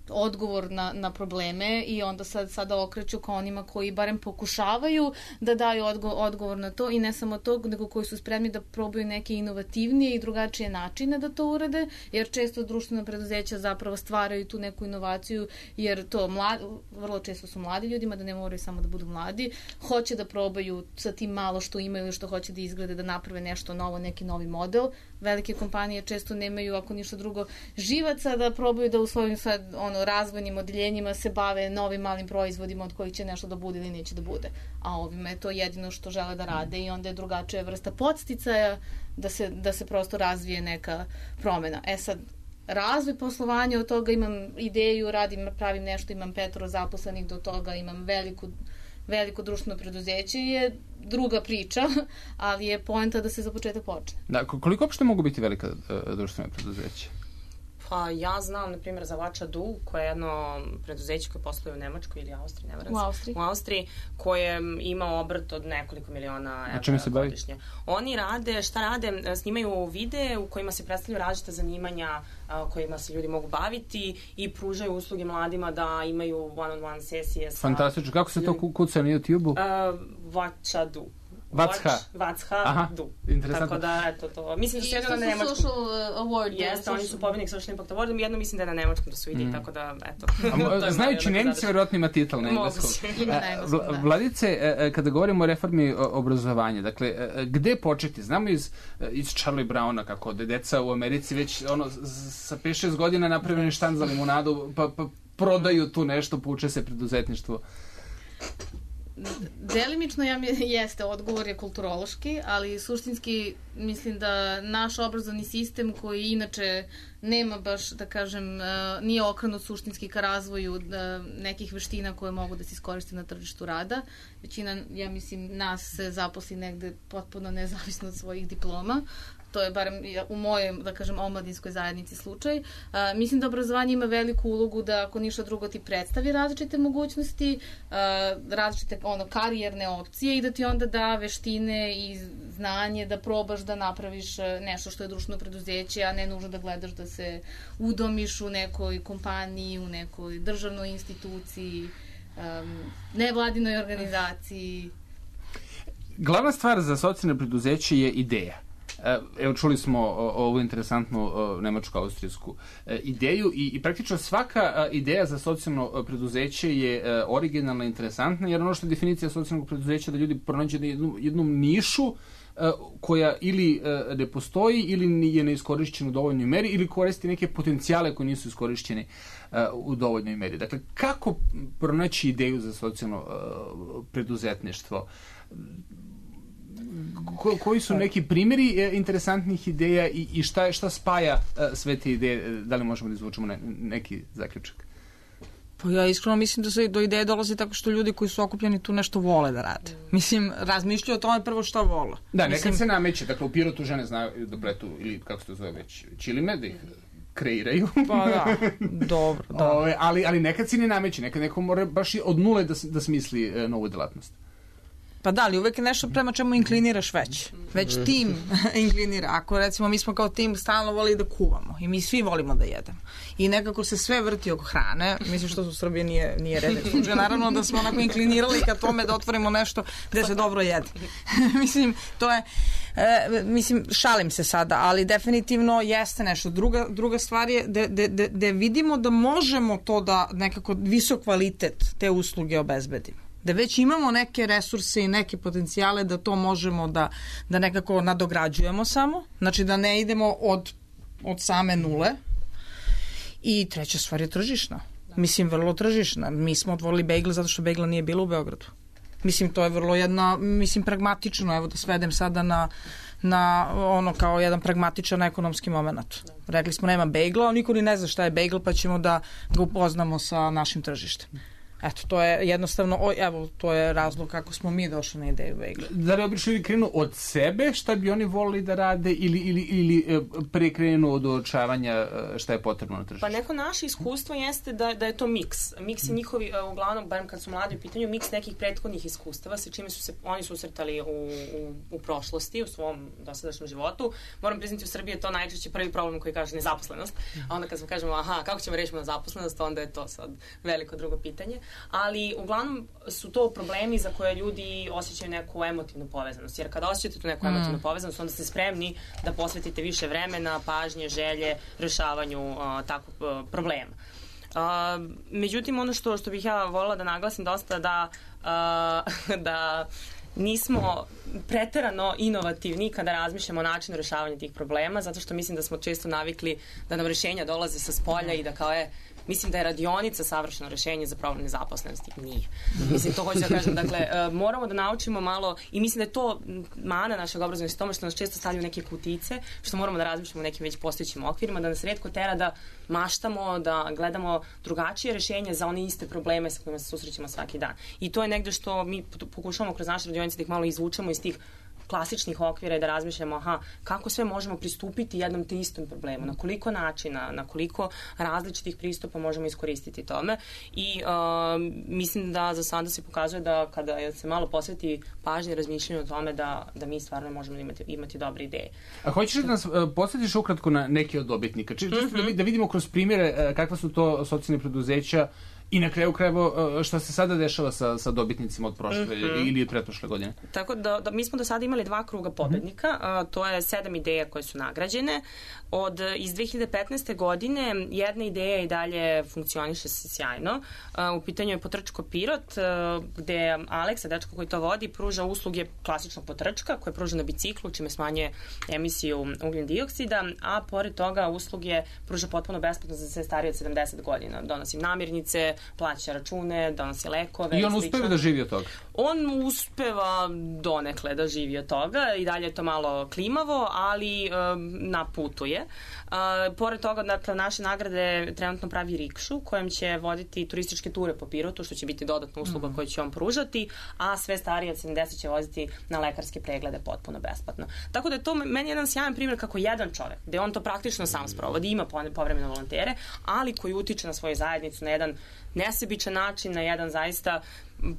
S5: odgovor na, na probleme i onda sad, sada okreću ka onima koji barem pokušavaju da daju odgo, odgovor na to i ne samo to, nego koji su spremni da probaju neke inovativnije i drugačije načine da to urade, jer često društvena preduzeća zapravo stvaraju tu neku inovaciju, jer to mlad, vrlo često su mladi ljudima, da ne moraju samo da budu mladi, hoće da probaju sa tim malo što imaju ili što hoće da izglede, da naprave nešto novo, neki novi model. Velike kompanije često nemaju, ako ništa drugo, živaca da probaju da u svojim sad, ono, razvojnim odeljenjima se bave novim malim proizvodima od kojih će nešto da bude ili neće da bude. A ovima je to jedino što žele da rade i onda je drugačija vrsta podsticaja da se, da se prosto razvije neka promena. E sad, razvoj poslovanja, od toga imam ideju, radim, pravim nešto, imam petoro zaposlenih, do toga imam veliku veliko društveno preduzeće, je druga priča, ali je poenta da se za početak počne.
S1: Da, koliko uopšte mogu biti velika uh, društvena preduzeća?
S2: Pa ja znam, na primjer, za Vača Du, koje je jedno preduzeće koje posluje u Nemačkoj ili Austriji, ne
S5: u Austriji.
S2: u Austriji, koje ima obrt od nekoliko miliona evra godišnje. Oni rade, šta rade? Snimaju videe u kojima se predstavljaju različita zanimanja kojima se ljudi mogu baviti i pružaju usluge mladima da imaju one-on-one sesije sa...
S1: Fantastično. Kako se to kuca na YouTube-u?
S2: Uh, Vača Du.
S1: Vatsha.
S2: Vatsha Du.
S1: Interesantno.
S2: Tako da, eto to. Mislim da su jedno na nemačkom.
S5: I Social Award.
S2: Jeste, oni su pobednik Social Impact Award, jedno mislim da je na nemačkom da su vidi, mm. tako da, eto.
S1: Znajući Nemci, vjerovatno ima titel na engleskom. Vladice, kada govorimo o reformi obrazovanja, dakle, gde početi? Znamo iz, iz Charlie Browna kako da deca u Americi već ono, sa pet šest godina napravljeni štanc za limunadu, pa, pa prodaju tu nešto, pouče se preduzetništvo.
S5: Delimično ja mi jeste, odgovor je kulturološki, ali suštinski mislim da naš obrazovni sistem koji inače nema baš, da kažem, nije okrenut suštinski ka razvoju nekih veština koje mogu da se iskoriste na tržištu rada. Većina, ja mislim, nas se zaposli negde potpuno nezavisno od svojih diploma. To je barem u mojoj, da kažem, omladinskoj zajednici slučaj. A, mislim da obrazovanje ima veliku ulogu da, ako ništa drugo, ti predstavi različite mogućnosti, a, različite ono, karijerne opcije i da ti onda da veštine i znanje da probaš da napraviš nešto što je društveno preduzeće, a ne nužno da gledaš da se udomiš u nekoj kompaniji, u nekoj državnoj instituciji, um, nevladinoj organizaciji.
S1: Glavna stvar za socijalne preduzeće je ideja. Uh, Evo, čuli smo ovu interesantnu nemačko-austrijsku ideju i, i praktično svaka ideja za socijalno preduzeće je originalna i interesantna, jer ono što je definicija socijalnog preduzeća da ljudi pronađe jednu, jednu nišu koja ili ne postoji ili je neiskorišćena u dovoljnoj meri ili koristi neke potencijale koji nisu iskorišćeni u dovoljnoj meri. Dakle, kako pronaći ideju za socijalno preduzetništvo? Ko, koji su neki primjeri interesantnih ideja i, i šta, šta spaja sve te ideje? Da li možemo da izvučemo ne, neki zaključak?
S3: Pa ja iskreno mislim da se do ideje dolazi tako što ljudi koji su okupljeni tu nešto vole da rade. Mislim, razmišljaju o tome prvo šta vole.
S1: Da,
S3: mislim,
S1: nekad se nameće. Dakle, u Pirotu žene znaju da pletu, ili kako se to zove već, čilime, da ih kreiraju.
S3: Pa da, dobro, da.
S1: O, ali, ali nekad se ne nameće. Nekad neko mora baš od nule da, da smisli e, novu delatnost.
S3: Pa da, ali uvek je nešto prema čemu inkliniraš već. Već tim inklinira. Ako recimo mi smo kao tim stalno volili da kuvamo i mi svi volimo da jedemo. I nekako se sve vrti oko hrane. Mislim što u Srbiji nije, nije redne slučaj. Naravno da smo onako inklinirali ka tome da otvorimo nešto gde se dobro jede. Mislim, to je... E, mislim, šalim se sada, ali definitivno jeste nešto. Druga, druga stvar je da, da, da, da vidimo da možemo to da nekako visok kvalitet te usluge obezbedimo. Da već imamo neke resurse i neke potencijale da to možemo da, da nekako nadograđujemo samo. Znači da ne idemo od, od same nule. I treća stvar je tržišna. Mislim, vrlo tržišna. Mi smo otvorili Bagel zato što Bagela nije bilo u Beogradu. Mislim, to je vrlo jedna, mislim, pragmatično. Evo da svedem sada na, na ono kao jedan pragmatičan ekonomski moment. Rekli smo nema Bagela, niko ni ne zna šta je Bagel, pa ćemo da ga upoznamo sa našim tržištem. Eto, to je jednostavno, o, evo, to je razlog kako smo mi došli na ideju Bagela.
S1: Da li obično ljudi krenu od sebe šta bi oni volili da rade ili, ili, ili pre krenu od uočavanja šta je potrebno na tržištu?
S2: Pa neko naše iskustvo jeste da, da je to miks. Miks je njihovi, uglavnom, barem kad su mladi u pitanju, miks nekih prethodnih iskustava sa čime su se oni susretali u, u, u prošlosti, u svom dosadašnjem životu. Moram priznati, u Srbiji je to najčešće prvi problem koji kaže nezaposlenost. A onda kad smo kažemo, aha, kako ćemo rešiti nezaposlenost, onda je to sad veliko drugo pitanje. Ali uglavnom su to problemi za koje ljudi osjećaju neku emotivnu povezanost. Jer kada osjećate tu neku emotivnu povezanost, onda ste spremni da posvetite više vremena, pažnje, želje, rešavanju uh, takvog uh, problema. Uh, međutim, ono što, što bih ja voljela da naglasim dosta da, uh, da nismo preterano inovativni kada razmišljamo o načinu rešavanja tih problema, zato što mislim da smo često navikli da nam rešenja dolaze sa spolja i da kao je mislim da je radionica savršeno rešenje za problem nezaposlenosti. Nije. Mislim, to hoću da kažem. Dakle, uh, moramo da naučimo malo i mislim da je to mana našeg obrazovnog sistema što nas često stavljaju neke kutice, što moramo da razmišljamo o nekim već postojećim okvirima, da nas retko tera da maštamo, da gledamo drugačije rešenje za one iste probleme sa kojima se susrećemo svaki dan. I to je negde što mi pokušavamo kroz naše radionice da ih malo izvučemo iz tih klasičnih okvira i da razmišljamo aha, kako sve možemo pristupiti jednom te istom problemu, na koliko načina, na koliko različitih pristupa možemo iskoristiti tome i uh, mislim da za sada se pokazuje da kada se malo posveti pažnje i razmišljanju o tome da, da mi stvarno možemo imati, imati dobre ideje.
S1: A hoćeš da nas uh, posvetiš ukratko na neke od dobitnika? Či, čisto mm-hmm. da, da vidimo kroz primjere uh, kakva su to socijalne preduzeća i na kraju krajeva šta se sada dešava sa, sa dobitnicima od prošle mm-hmm. ili pretprošle godine?
S2: Tako da, da mi smo do sada imali dva kruga pobednika, mm-hmm. a, to je sedam ideja koje su nagrađene. Od, iz dve hiljade petnaeste. godine jedna ideja i dalje funkcioniše sjajno. A, u pitanju je Potrčko Pirot, a, gde Aleksa, dečko koji to vodi, pruža usluge klasičnog potrčka koje pruža na biciklu, čime smanjuje emisiju ugljen dioksida, a pored toga usluge pruža potpuno besplatno za sve starije od sedamdeset godina. Donosi namirnice, plaća račune, donosi lekove.
S1: I on uspeva da živi od toga?
S2: On uspeva donekle da živi od toga i dalje je to malo klimavo, ali um, na putu je. Uh, pored toga, dakle, naše nagrade trenutno pravi rikšu kojem će voditi turističke ture po Pirotu, što će biti dodatna usluga mm. koju će on pružati, a sve starije od sedamdeset će voziti na lekarske preglede potpuno besplatno. Tako da je to meni jedan sjajan primjer kako jedan čovek, gde on to praktično sam sprovodi, ima povremeno volontere, ali koji utiče na svoju zajednicu na jedan nesebičan način, na jedan zaista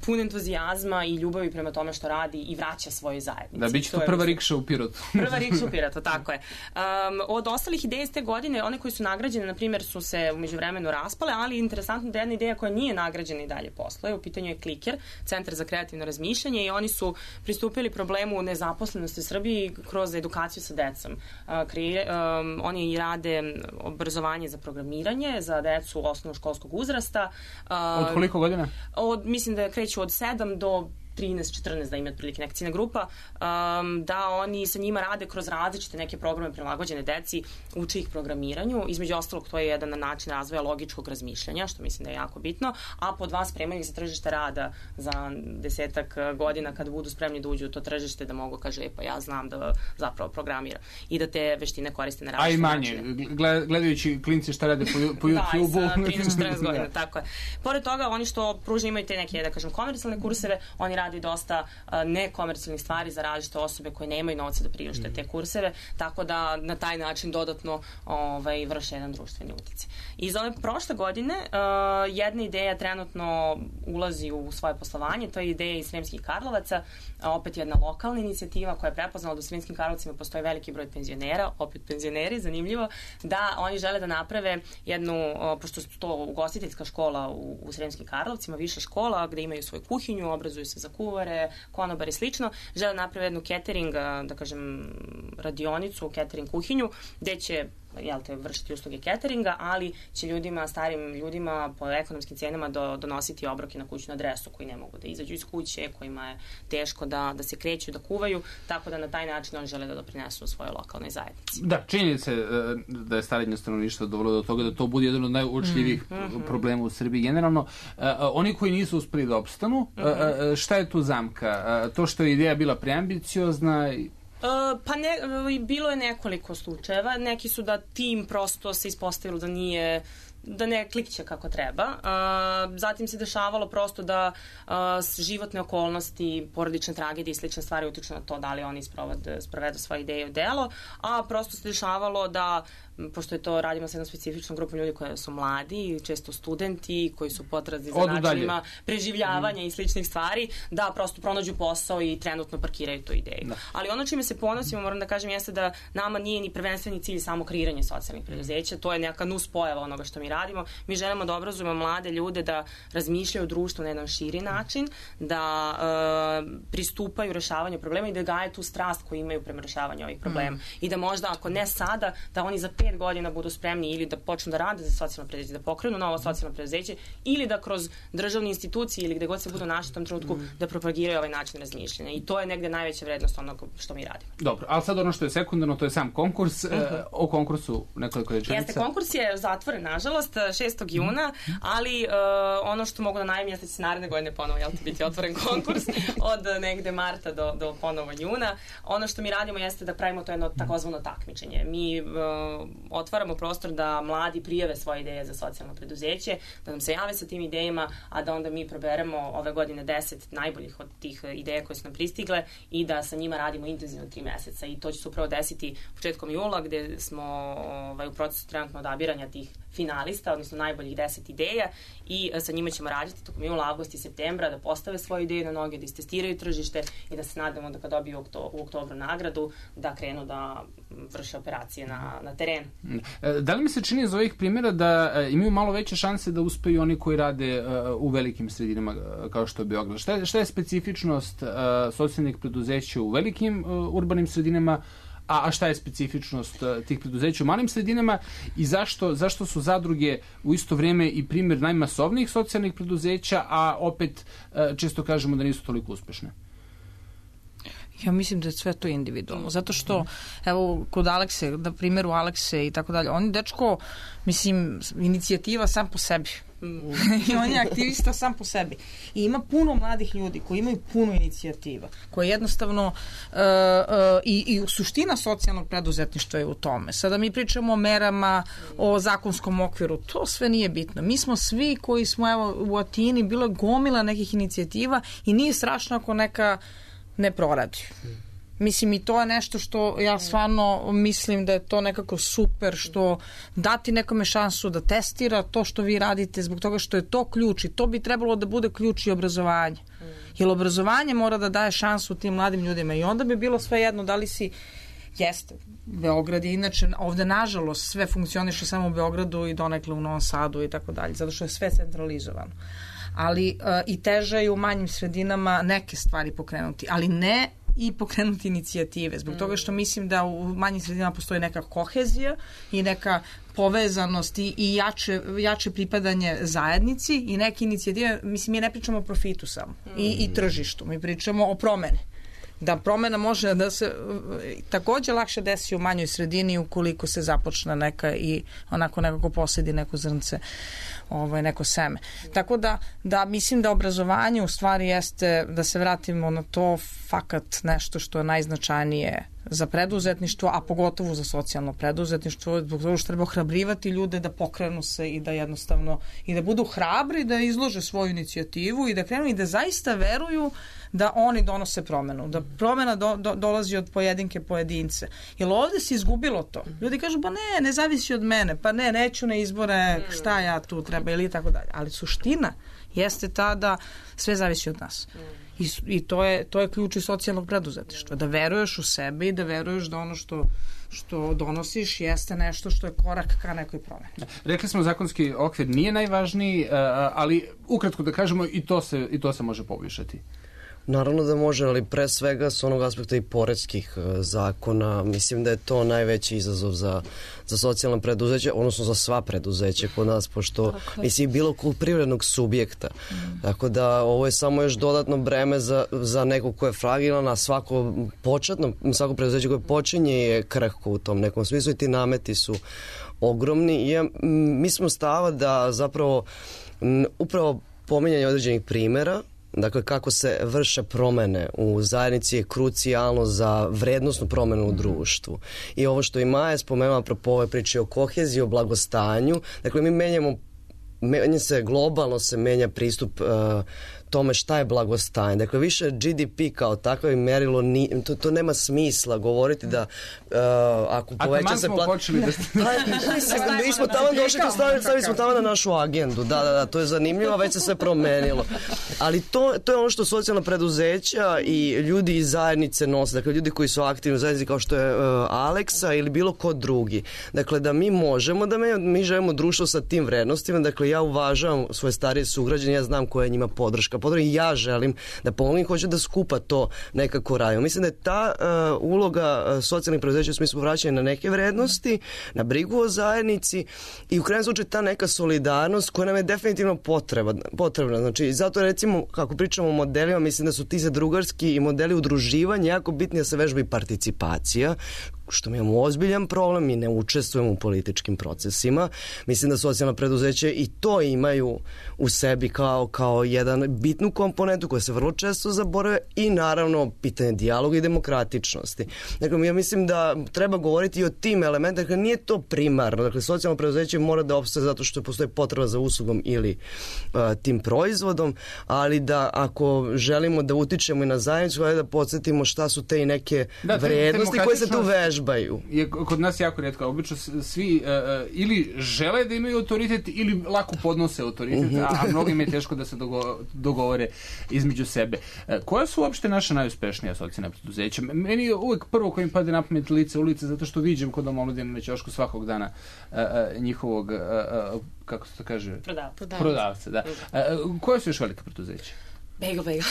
S2: pun entuzijazma i ljubavi prema tome što radi i vraća svojoj zajednici.
S1: Da, bit će to, to prva rikša u Pirotu.
S2: Prva rikša u Pirotu, tako je. Um, od ostalih ideja iz te godine, one koji su nagrađene, na primjer, su se umeđu vremenu raspale, ali interesantno da jedna ideja koja nije nagrađena i dalje posluje. U pitanju je Kliker, Centar za kreativno razmišljanje, i oni su pristupili problemu nezaposlenosti u Srbiji kroz edukaciju sa decom. Uh, krije, um, oni rade obrazovanje za programiranje, za decu osnovnoškolskog uzrasta. Uh,
S1: od koliko godina?
S2: Od, mislim da kreću od sedam do trinaest četrnaest, da ima otprilike neka ciljna grupa, um, da oni sa njima rade kroz različite neke programe prilagođene deci, uče ih programiranju. Između ostalog, to je jedan način razvoja logičkog razmišljanja, što mislim da je jako bitno, a pod dva spremaju ih za tržište rada za desetak godina kada budu spremni da uđu u to tržište, da mogu kaže, e, pa ja znam da zapravo programiram i da te veštine koriste na različite načine.
S1: A i manje, gledajući klinci šta rade po, po YouTube-u.
S2: Da, i sa trinaest četrnaest godina, tako je. Pored toga, oni što pružaju imaju te neke, da kažem, komercijalne kurseve, oni rade i dosta uh, nekomercijalnih stvari za različite osobe koje nemaju novca da priušte te kurseve, tako da na taj način dodatno ovaj, vrše jedan društveni uticaj. Iz ove prošle godine uh, jedna ideja trenutno ulazi u svoje poslovanje, to je ideja iz Sremskih Karlovaca, opet jedna lokalna inicijativa koja je prepoznala da u Sremskim Karlovcima postoji veliki broj penzionera, opet penzioneri, zanimljivo, da oni žele da naprave jednu, uh, pošto su to ugostiteljska škola u, u Sremskim Karlovcima, viša škola gde imaju svoju kuhinju, obrazuju se za kuvare, konobar i slično, žele napraviti jednu catering, da kažem, radionicu, catering kuhinju, gde će jel te, vršiti usluge cateringa, ali će ljudima, starim ljudima po ekonomskim cenama do, donositi obroke na kućnu adresu, koji ne mogu da izađu iz kuće, kojima je teško da, da se kreću, da kuvaju, tako da na taj način oni žele da doprinesu u svojoj lokalnoj zajednici.
S1: Da, činjenica je da je starenje stanovništva dovelo do toga da to bude jedan od najuočljivijih mm -hmm. problema u Srbiji generalno. Uh, oni koji nisu uspeli da opstanu, mm -hmm. uh, šta je tu zamka? Uh, to što je ideja bila preambiciozna.
S2: Uh, pa ne, bilo je nekoliko slučajeva. Neki su da tim prosto se ispostavilo da nije, da ne klikće kako treba. Uh, zatim se dešavalo prosto da uh, životne okolnosti, porodične tragedije i slične stvari utiču na to da li oni sprovode, sprovedu svoje ideje u delo, a prosto se dešavalo da, pošto je to, radimo sa jednom specifičnom grupom ljudi koji su mladi, često studenti, koji su potrazi za načinima preživljavanja mm. i sličnih stvari, da prosto pronađu posao i trenutno parkiraju tu ideju. Da. Ali ono čime se ponosimo, moram da kažem, jeste da nama nije ni prvenstveni cilj samo kreiranje socijalnih preduzeća, to je neka nus pojava onoga što mi radimo. Mi želimo da obrazujemo mlade ljude da razmišljaju o društvu na jedan širi način, da e, pristupaju rešavanju problema i da gaje tu strast koju imaju prema rešavanju ovih problema. Mm. I da možda, ako ne sada, da oni za pet godina budu spremni ili da počnu da rade za socijalno preduzeće, da pokrenu novo socijalno preduzeće, ili da kroz državne institucije ili gde god se budu našli u tom trenutku mm. da propagiraju ovaj način razmišljanja. I to je negde najveća vrednost onog što mi radimo.
S1: Dobro, ali sad ono što je sekundarno, to je sam konkurs. Mm -hmm. e, o konkursu nekoliko rečenica.
S2: Jeste, konkurs je zatvoren, nažalost, šestog juna, ali uh, ono što mogu da najavim jeste da će naredne godine ponovo, jel, biti otvoren konkurs od negde marta do, do ponovo juna. Ono što mi radimo jeste da pravimo to jedno takozvano takmičenje. Mi uh, otvaramo prostor da mladi prijave svoje ideje za socijalno preduzeće, da nam se jave sa tim idejama, a da onda mi proberemo ove godine deset najboljih od tih ideja koje su nam pristigle i da sa njima radimo intenzivno tri meseca. I to će se upravo desiti početkom jula, gde smo ovaj, u procesu trenutno odabiranja tih finalista, odnosno najboljih deset ideja, i sa njima ćemo raditi tokom jula, avgusta i septembra, da postave svoje ideje na noge, da istestiraju tržište i da se nadamo da kad dobiju u oktobru nagradu, da krenu da vrše operacije na, na terenu.
S1: Da li mi se čini iz ovih primjera da imaju malo veće šanse da uspeju oni koji rade u velikim sredinama kao što je Beograd? Šta je, šta je specifičnost socijalnih preduzeća u velikim urbanim sredinama, a šta je specifičnost tih preduzeća u malim sredinama i zašto, zašto su zadruge u isto vrijeme i primjer najmasovnijih socijalnih preduzeća, a opet često kažemo da nisu toliko uspešne?
S3: Ja mislim da je sve to individualno, zato što, evo, kod Alekse, na primjeru Alekse i tako dalje, on je dečko, mislim, inicijativa sam po sebi. Mm. I on je aktivista sam po sebi. I ima puno mladih ljudi koji imaju puno inicijativa, koje jednostavno uh, uh, i, i suština socijalnog preduzetništva je u tome. Sada mi pričamo o merama, o zakonskom okviru, to sve nije bitno. Mi smo svi koji smo, evo, u Atini, bilo gomila nekih inicijativa i nije strašno ako neka ne proradi. Mislim, i to je nešto što ja stvarno mislim da je to nekako super, što dati nekome šansu da testira to što vi radite, zbog toga što je to ključ i to bi trebalo da bude ključ i obrazovanje. Jer obrazovanje mora da daje šansu tim mladim ljudima i onda bi bilo sve jedno da li si, jeste, Beograd je inače, ovde nažalost sve funkcioniše samo u Beogradu i donekle u Novom Sadu i tako dalje, zato što je sve centralizovano. Ali uh, i teže je u manjim sredinama neke stvari pokrenuti, ali ne i pokrenuti inicijative. Zbog toga što mislim da u manjim sredinama postoji neka kohezija i neka povezanost i, i jače, jače pripadanje zajednici i neke inicijative, mislim, mi ne pričamo o profitu samo i, i tržištu, mi pričamo o promeni. Da promena može da se takođe lakše desi u manjoj sredini ukoliko se započne neka i onako nekako posedi neko zrnce, ovaj, neko seme. Tako da, da mislim da obrazovanje u stvari jeste, da se vratimo na to, fakat nešto što je najznačajnije za preduzetništvo, a pogotovo za socijalno preduzetništvo, zbog toga što treba ohrabrivati ljude da pokrenu se i da jednostavno, i da budu hrabri, da izlože svoju inicijativu i da krenu i da zaista veruju da oni donose promenu, da promena do, do, dolazi od pojedinke pojedince. Jer ovde se izgubilo to. Ljudi kažu, pa ne, ne zavisi od mene, pa ne, neću na izbore, šta ja tu treba ili tako dalje. Ali suština jeste ta da sve zavisi od nas. I, i to, je, to je ključ i socijalnog preduzetništva. Da veruješ u sebe i da veruješ da ono što što donosiš jeste nešto što je korak ka nekoj promeni.
S1: Rekli smo zakonski okvir nije najvažniji, ali ukratko da kažemo i to se, i to se može poboljšati.
S4: Naravno da može, ali pre svega s onog aspekta i poreskih zakona. Mislim da je to najveći izazov za, za socijalne preduzeće, odnosno za sva preduzeća kod nas, pošto mislim bilo kod privrednog subjekta. Mm. Tako da ovo je samo još dodatno breme za, za nekog ko je fragilan, a svako početno, svako preduzeće koje počinje je krhko u tom nekom smislu i ti nameti su ogromni. I ja, mi smo stava da zapravo m, upravo pominjanje određenih primera, dakle, kako se vrše promene u zajednici je krucijalno za vrednostnu promenu u društvu. I ovo što i Maja spomenula apropo ove priče o koheziji, o blagostanju, dakle, mi menjamo, menja se, globalno se menja pristup uh, tome šta je blagostanje. Dakle, više G D P kao takvo merilo, ni, to, to nema smisla govoriti da uh, ako poveća se...
S1: A taman smo počeli da...
S4: Mi smo tamo došli, stavili, stavili smo tamo na našu agendu. Da, da, da, to je zanimljivo, već se sve promenilo. Ali to, to je ono što socijalna preduzeća i ljudi iz zajednice nose. Dakle, ljudi koji su aktivni u zajednici kao što je uh, Aleksa ili bilo ko drugi. Dakle, da mi možemo da me, mi želimo društvo sa tim vrednostima. Dakle, ja uvažavam svoje starije sugrađane, ja znam koja je njima podrška. I ja želim da pomognem, hoću da skupa to nekako radimo. Mislim da je ta uh, uloga uh, socijalnih preduzeća u smislu vraćanja na neke vrednosti, na brigu o zajednici i u krajnjem slučaju ta neka solidarnost koja nam je definitivno potreba, potrebna. Znači, zato recimo, kako pričamo o modelima, mislim da su ti zadrugarski i modeli udruživanja jako bitni da se vežba i participacija, što mi imamo ozbiljan problem, mi ne učestvujemo u političkim procesima. Mislim da socijalna preduzeća i to imaju u sebi kao, kao jedan bitnu komponentu koja se vrlo često zaborave i naravno pitanje dijaloga i demokratičnosti. Dakle, ja mislim da treba govoriti i o tim elementima, dakle nije to primarno, dakle socijalno preduzeće mora da opstaje zato što postoji potreba za uslugom ili uh, tim proizvodom, ali da ako želimo da utičemo i na zajednicu, da podsjetimo šta su te i neke da, vrednosti koje se tu vežu.
S1: Je kod nas jako rijetko. Obično svi uh, ili žele da imaju autoritet ili lako podnose autoritet, uh-huh. a, a mnogim je teško da se dogo, dogovore između sebe. Uh, koja su uopšte naša najuspešnija socijalna preduzeća? Meni je uvek prvo koji mi pade na pamet lice ulice, zato što viđem kod omladine na ćošku svakog dana uh, uh, njihovog, uh, uh, kako se to kaže?
S2: Prodavca.
S1: Prodavca, da. Uh, koja su još velika preduzeća?
S2: Bagel Bagel.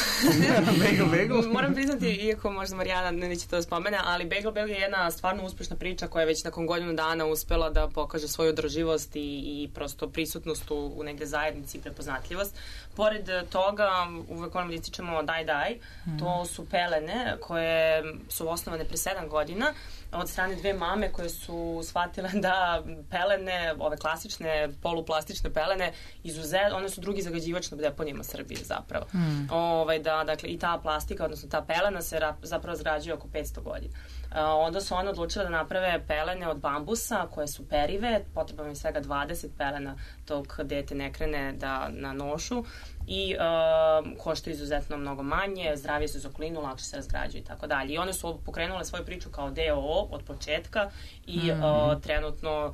S1: Bagel Bagel.
S2: Moram priznati, iako možda Marijana neće to da spomene, ali Bagel Bagel je jedna stvarno uspešna priča koja je već nakon godinu dana uspela da pokaže svoju održivost i, i prosto prisutnost u, u negde zajednici i prepoznatljivost. Pored toga, uvek onam da ističemo Daj Daj, mm. to su pelene koje su osnovane pre sedam godina od strane dve mame koje su shvatile da pelene, ove klasične poluplastične pelene, izuzet, one su drugi zagađivač na deponijama Srbije zapravo. Mm. mm. ovaj, da dakle, i ta plastika, odnosno ta pelena se ra, zapravo razgrađuje oko petsto godina. Uh, onda su one odlučile da naprave pelene od bambusa koje su perive, potrebno je svega dvadeset pelena dok dete ne krene da, na nošu i uh, košta izuzetno mnogo manje, zdravije su za okolinu, lakše se razgrađuju i tako dalje. I one su pokrenule svoju priču kao D O O od početka i mm. uh, trenutno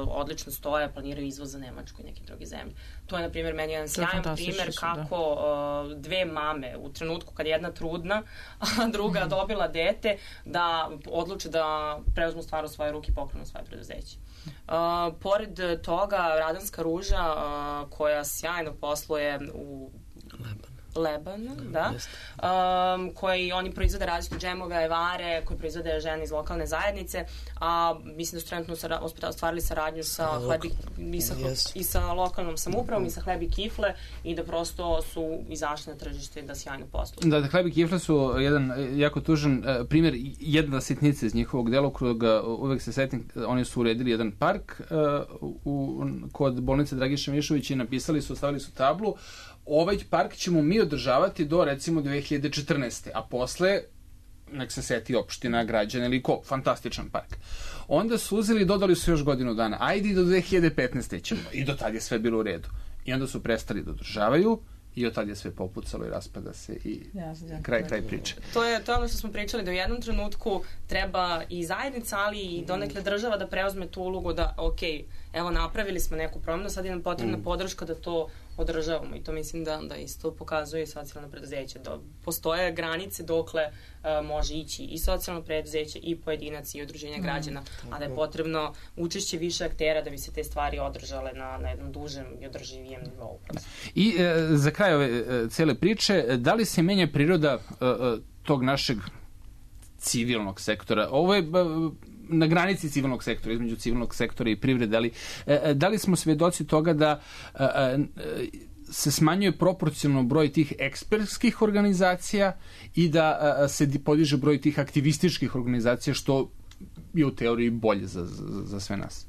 S2: odlično stoje, planiraju izvoz za Nemačku i neke druge zemlje. To je, na primjer, meni jedan sjajan primjer kako da. dve mame u trenutku kad je jedna trudna, a druga mm. dobila dete, da odluče da preuzmu stvar u svoje ruke i pokrenu svoje preduzeće. Uh, pored toga, Radanska ruža, uh, koja sjajno posluje u Lebanu, da, um, koji oni proizvode različite džemove, ajvare, koji proizvode žene iz lokalne zajednice, a mislim da su trenutno ostvarili saradnju sa hlebi, i, sa, yes. i sa lokalnom samoupravom i sa Hleb i kifle i da prosto su izašli na tržište da sjajno posluju.
S1: Da, da, Hleb i kifle su jedan jako tužan uh, primjer, jedna sitnica iz njihovog delokruga, uvek se setim, oni su uredili jedan park uh, u, kod bolnice Dragiša Mišovića i napisali su, ostavili su tablu, ovaj park ćemo mi održavati do recimo dve hiljade četrnaeste. a posle nek se seti opština, građana ili ko, fantastičan park. Onda su uzeli i dodali su još godinu dana, ajde i do dve hiljade petnaeste. ćemo, i do tad je sve bilo u redu. I onda su prestali da održavaju i od tad je sve popucalo i raspada se i yes, kraj, kraj priče.
S2: To je to ono što smo pričali, da u jednom trenutku treba i zajednica, ali i donekle država da preuzme tu ulogu da, ok, evo napravili smo neku promjenu, sad je nam potrebna mm. podrška da to održavamo i to mislim da, da isto pokazuje socijalno preduzeće. Da postoje granice dokle uh, može ići i socijalno preduzeće i pojedinac i udruženja mm. građana, a da je potrebno učešće više aktera da bi se te stvari održale na, na jednom dužem i održivijem nivou.
S1: I e, za kraj ove e, cele priče, da li se menja priroda e, e, tog našeg civilnog sektora? Ovo je na granici civilnog sektora, između civilnog sektora i privrede, ali e, da li smo svedoci toga da e, e, se smanjuje proporcionalno broj tih ekspertskih organizacija i da e, se podiže broj tih aktivističkih organizacija, što je u teoriji bolje za, za, za sve nas?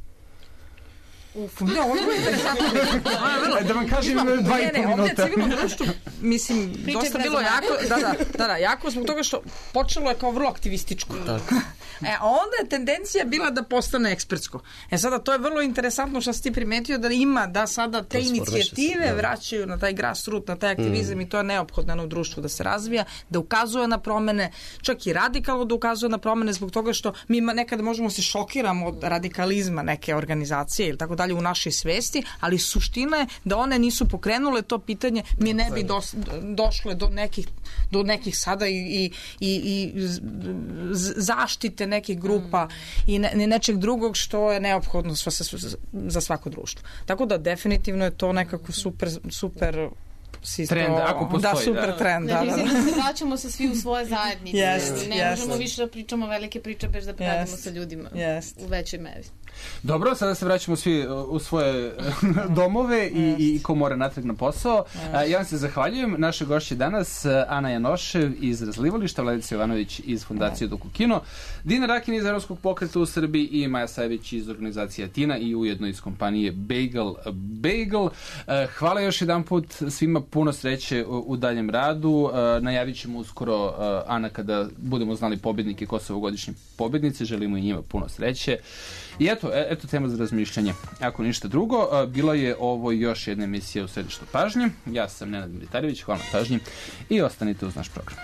S3: Uf, ne, ovo je interesantno.
S1: Da vam kažem, dva i po minuta.
S3: Ovdje civilno društvo, mislim, Priče dosta bilo jako, da, da, da, da, jako zbog toga što počelo je kao vrlo aktivističko. Tako. E, a onda je tendencija bila da postane ekspertsko. E sada, to je vrlo interesantno što si ti primetio da ima, da sada te inicijative se, vraćaju na taj grassroot, na taj aktivizam mm. i to je neophodno u društvu da se razvija, da ukazuje na promene, čak i radikalno da ukazuje na promene zbog toga što mi nekada možemo se šokiramo od radikalizma neke organizacije ili tako dalje u našoj svesti, ali suština je da one nisu pokrenule to pitanje, mi ne bi dos, došle do nekih, do nekih sada i, i, i, i zaštite nekih grupa i ne, nečeg drugog što je neophodno za svako društvo. Tako da definitivno je to nekako super, super Sisto,
S1: trend, ako postoji.
S3: Da, super
S1: da.
S3: trend. Da, da,
S5: da. Vraćamo se svi u svoje zajednice.
S3: Yes,
S5: ne
S3: yes.
S5: možemo više da pričamo velike priče bez da radimo
S3: yes.
S5: sa ljudima
S3: yes.
S5: u većoj meri.
S1: Dobro, sada se vraćamo svi u svoje domove i, yes. i ko mora natrag na posao. Yes. Ja vam se zahvaljujem. Naše gošće danas Ana Janošev iz Razlivališta, Vladica Jovanović iz Fondacije yes. Doku Kino, Dina Rakin iz Evropskog pokreta u Srbiji i Maja Sajević iz organizacije Atina i ujedno iz kompanije Bagel Bagel. Hvala još jedan put svima, puno sreće u daljem radu. Najavit ćemo uskoro, Ana, kada budemo znali pobednike, ko su ovogodišnji pobednici. Želimo i njima puno sreće. I eto, eto tema za razmišljanje. Ako ništa drugo, bila je ovo još jedna emisija u središtu pažnje. Ja sam Nenad Militarević, hvala na pažnji i ostanite uz naš program.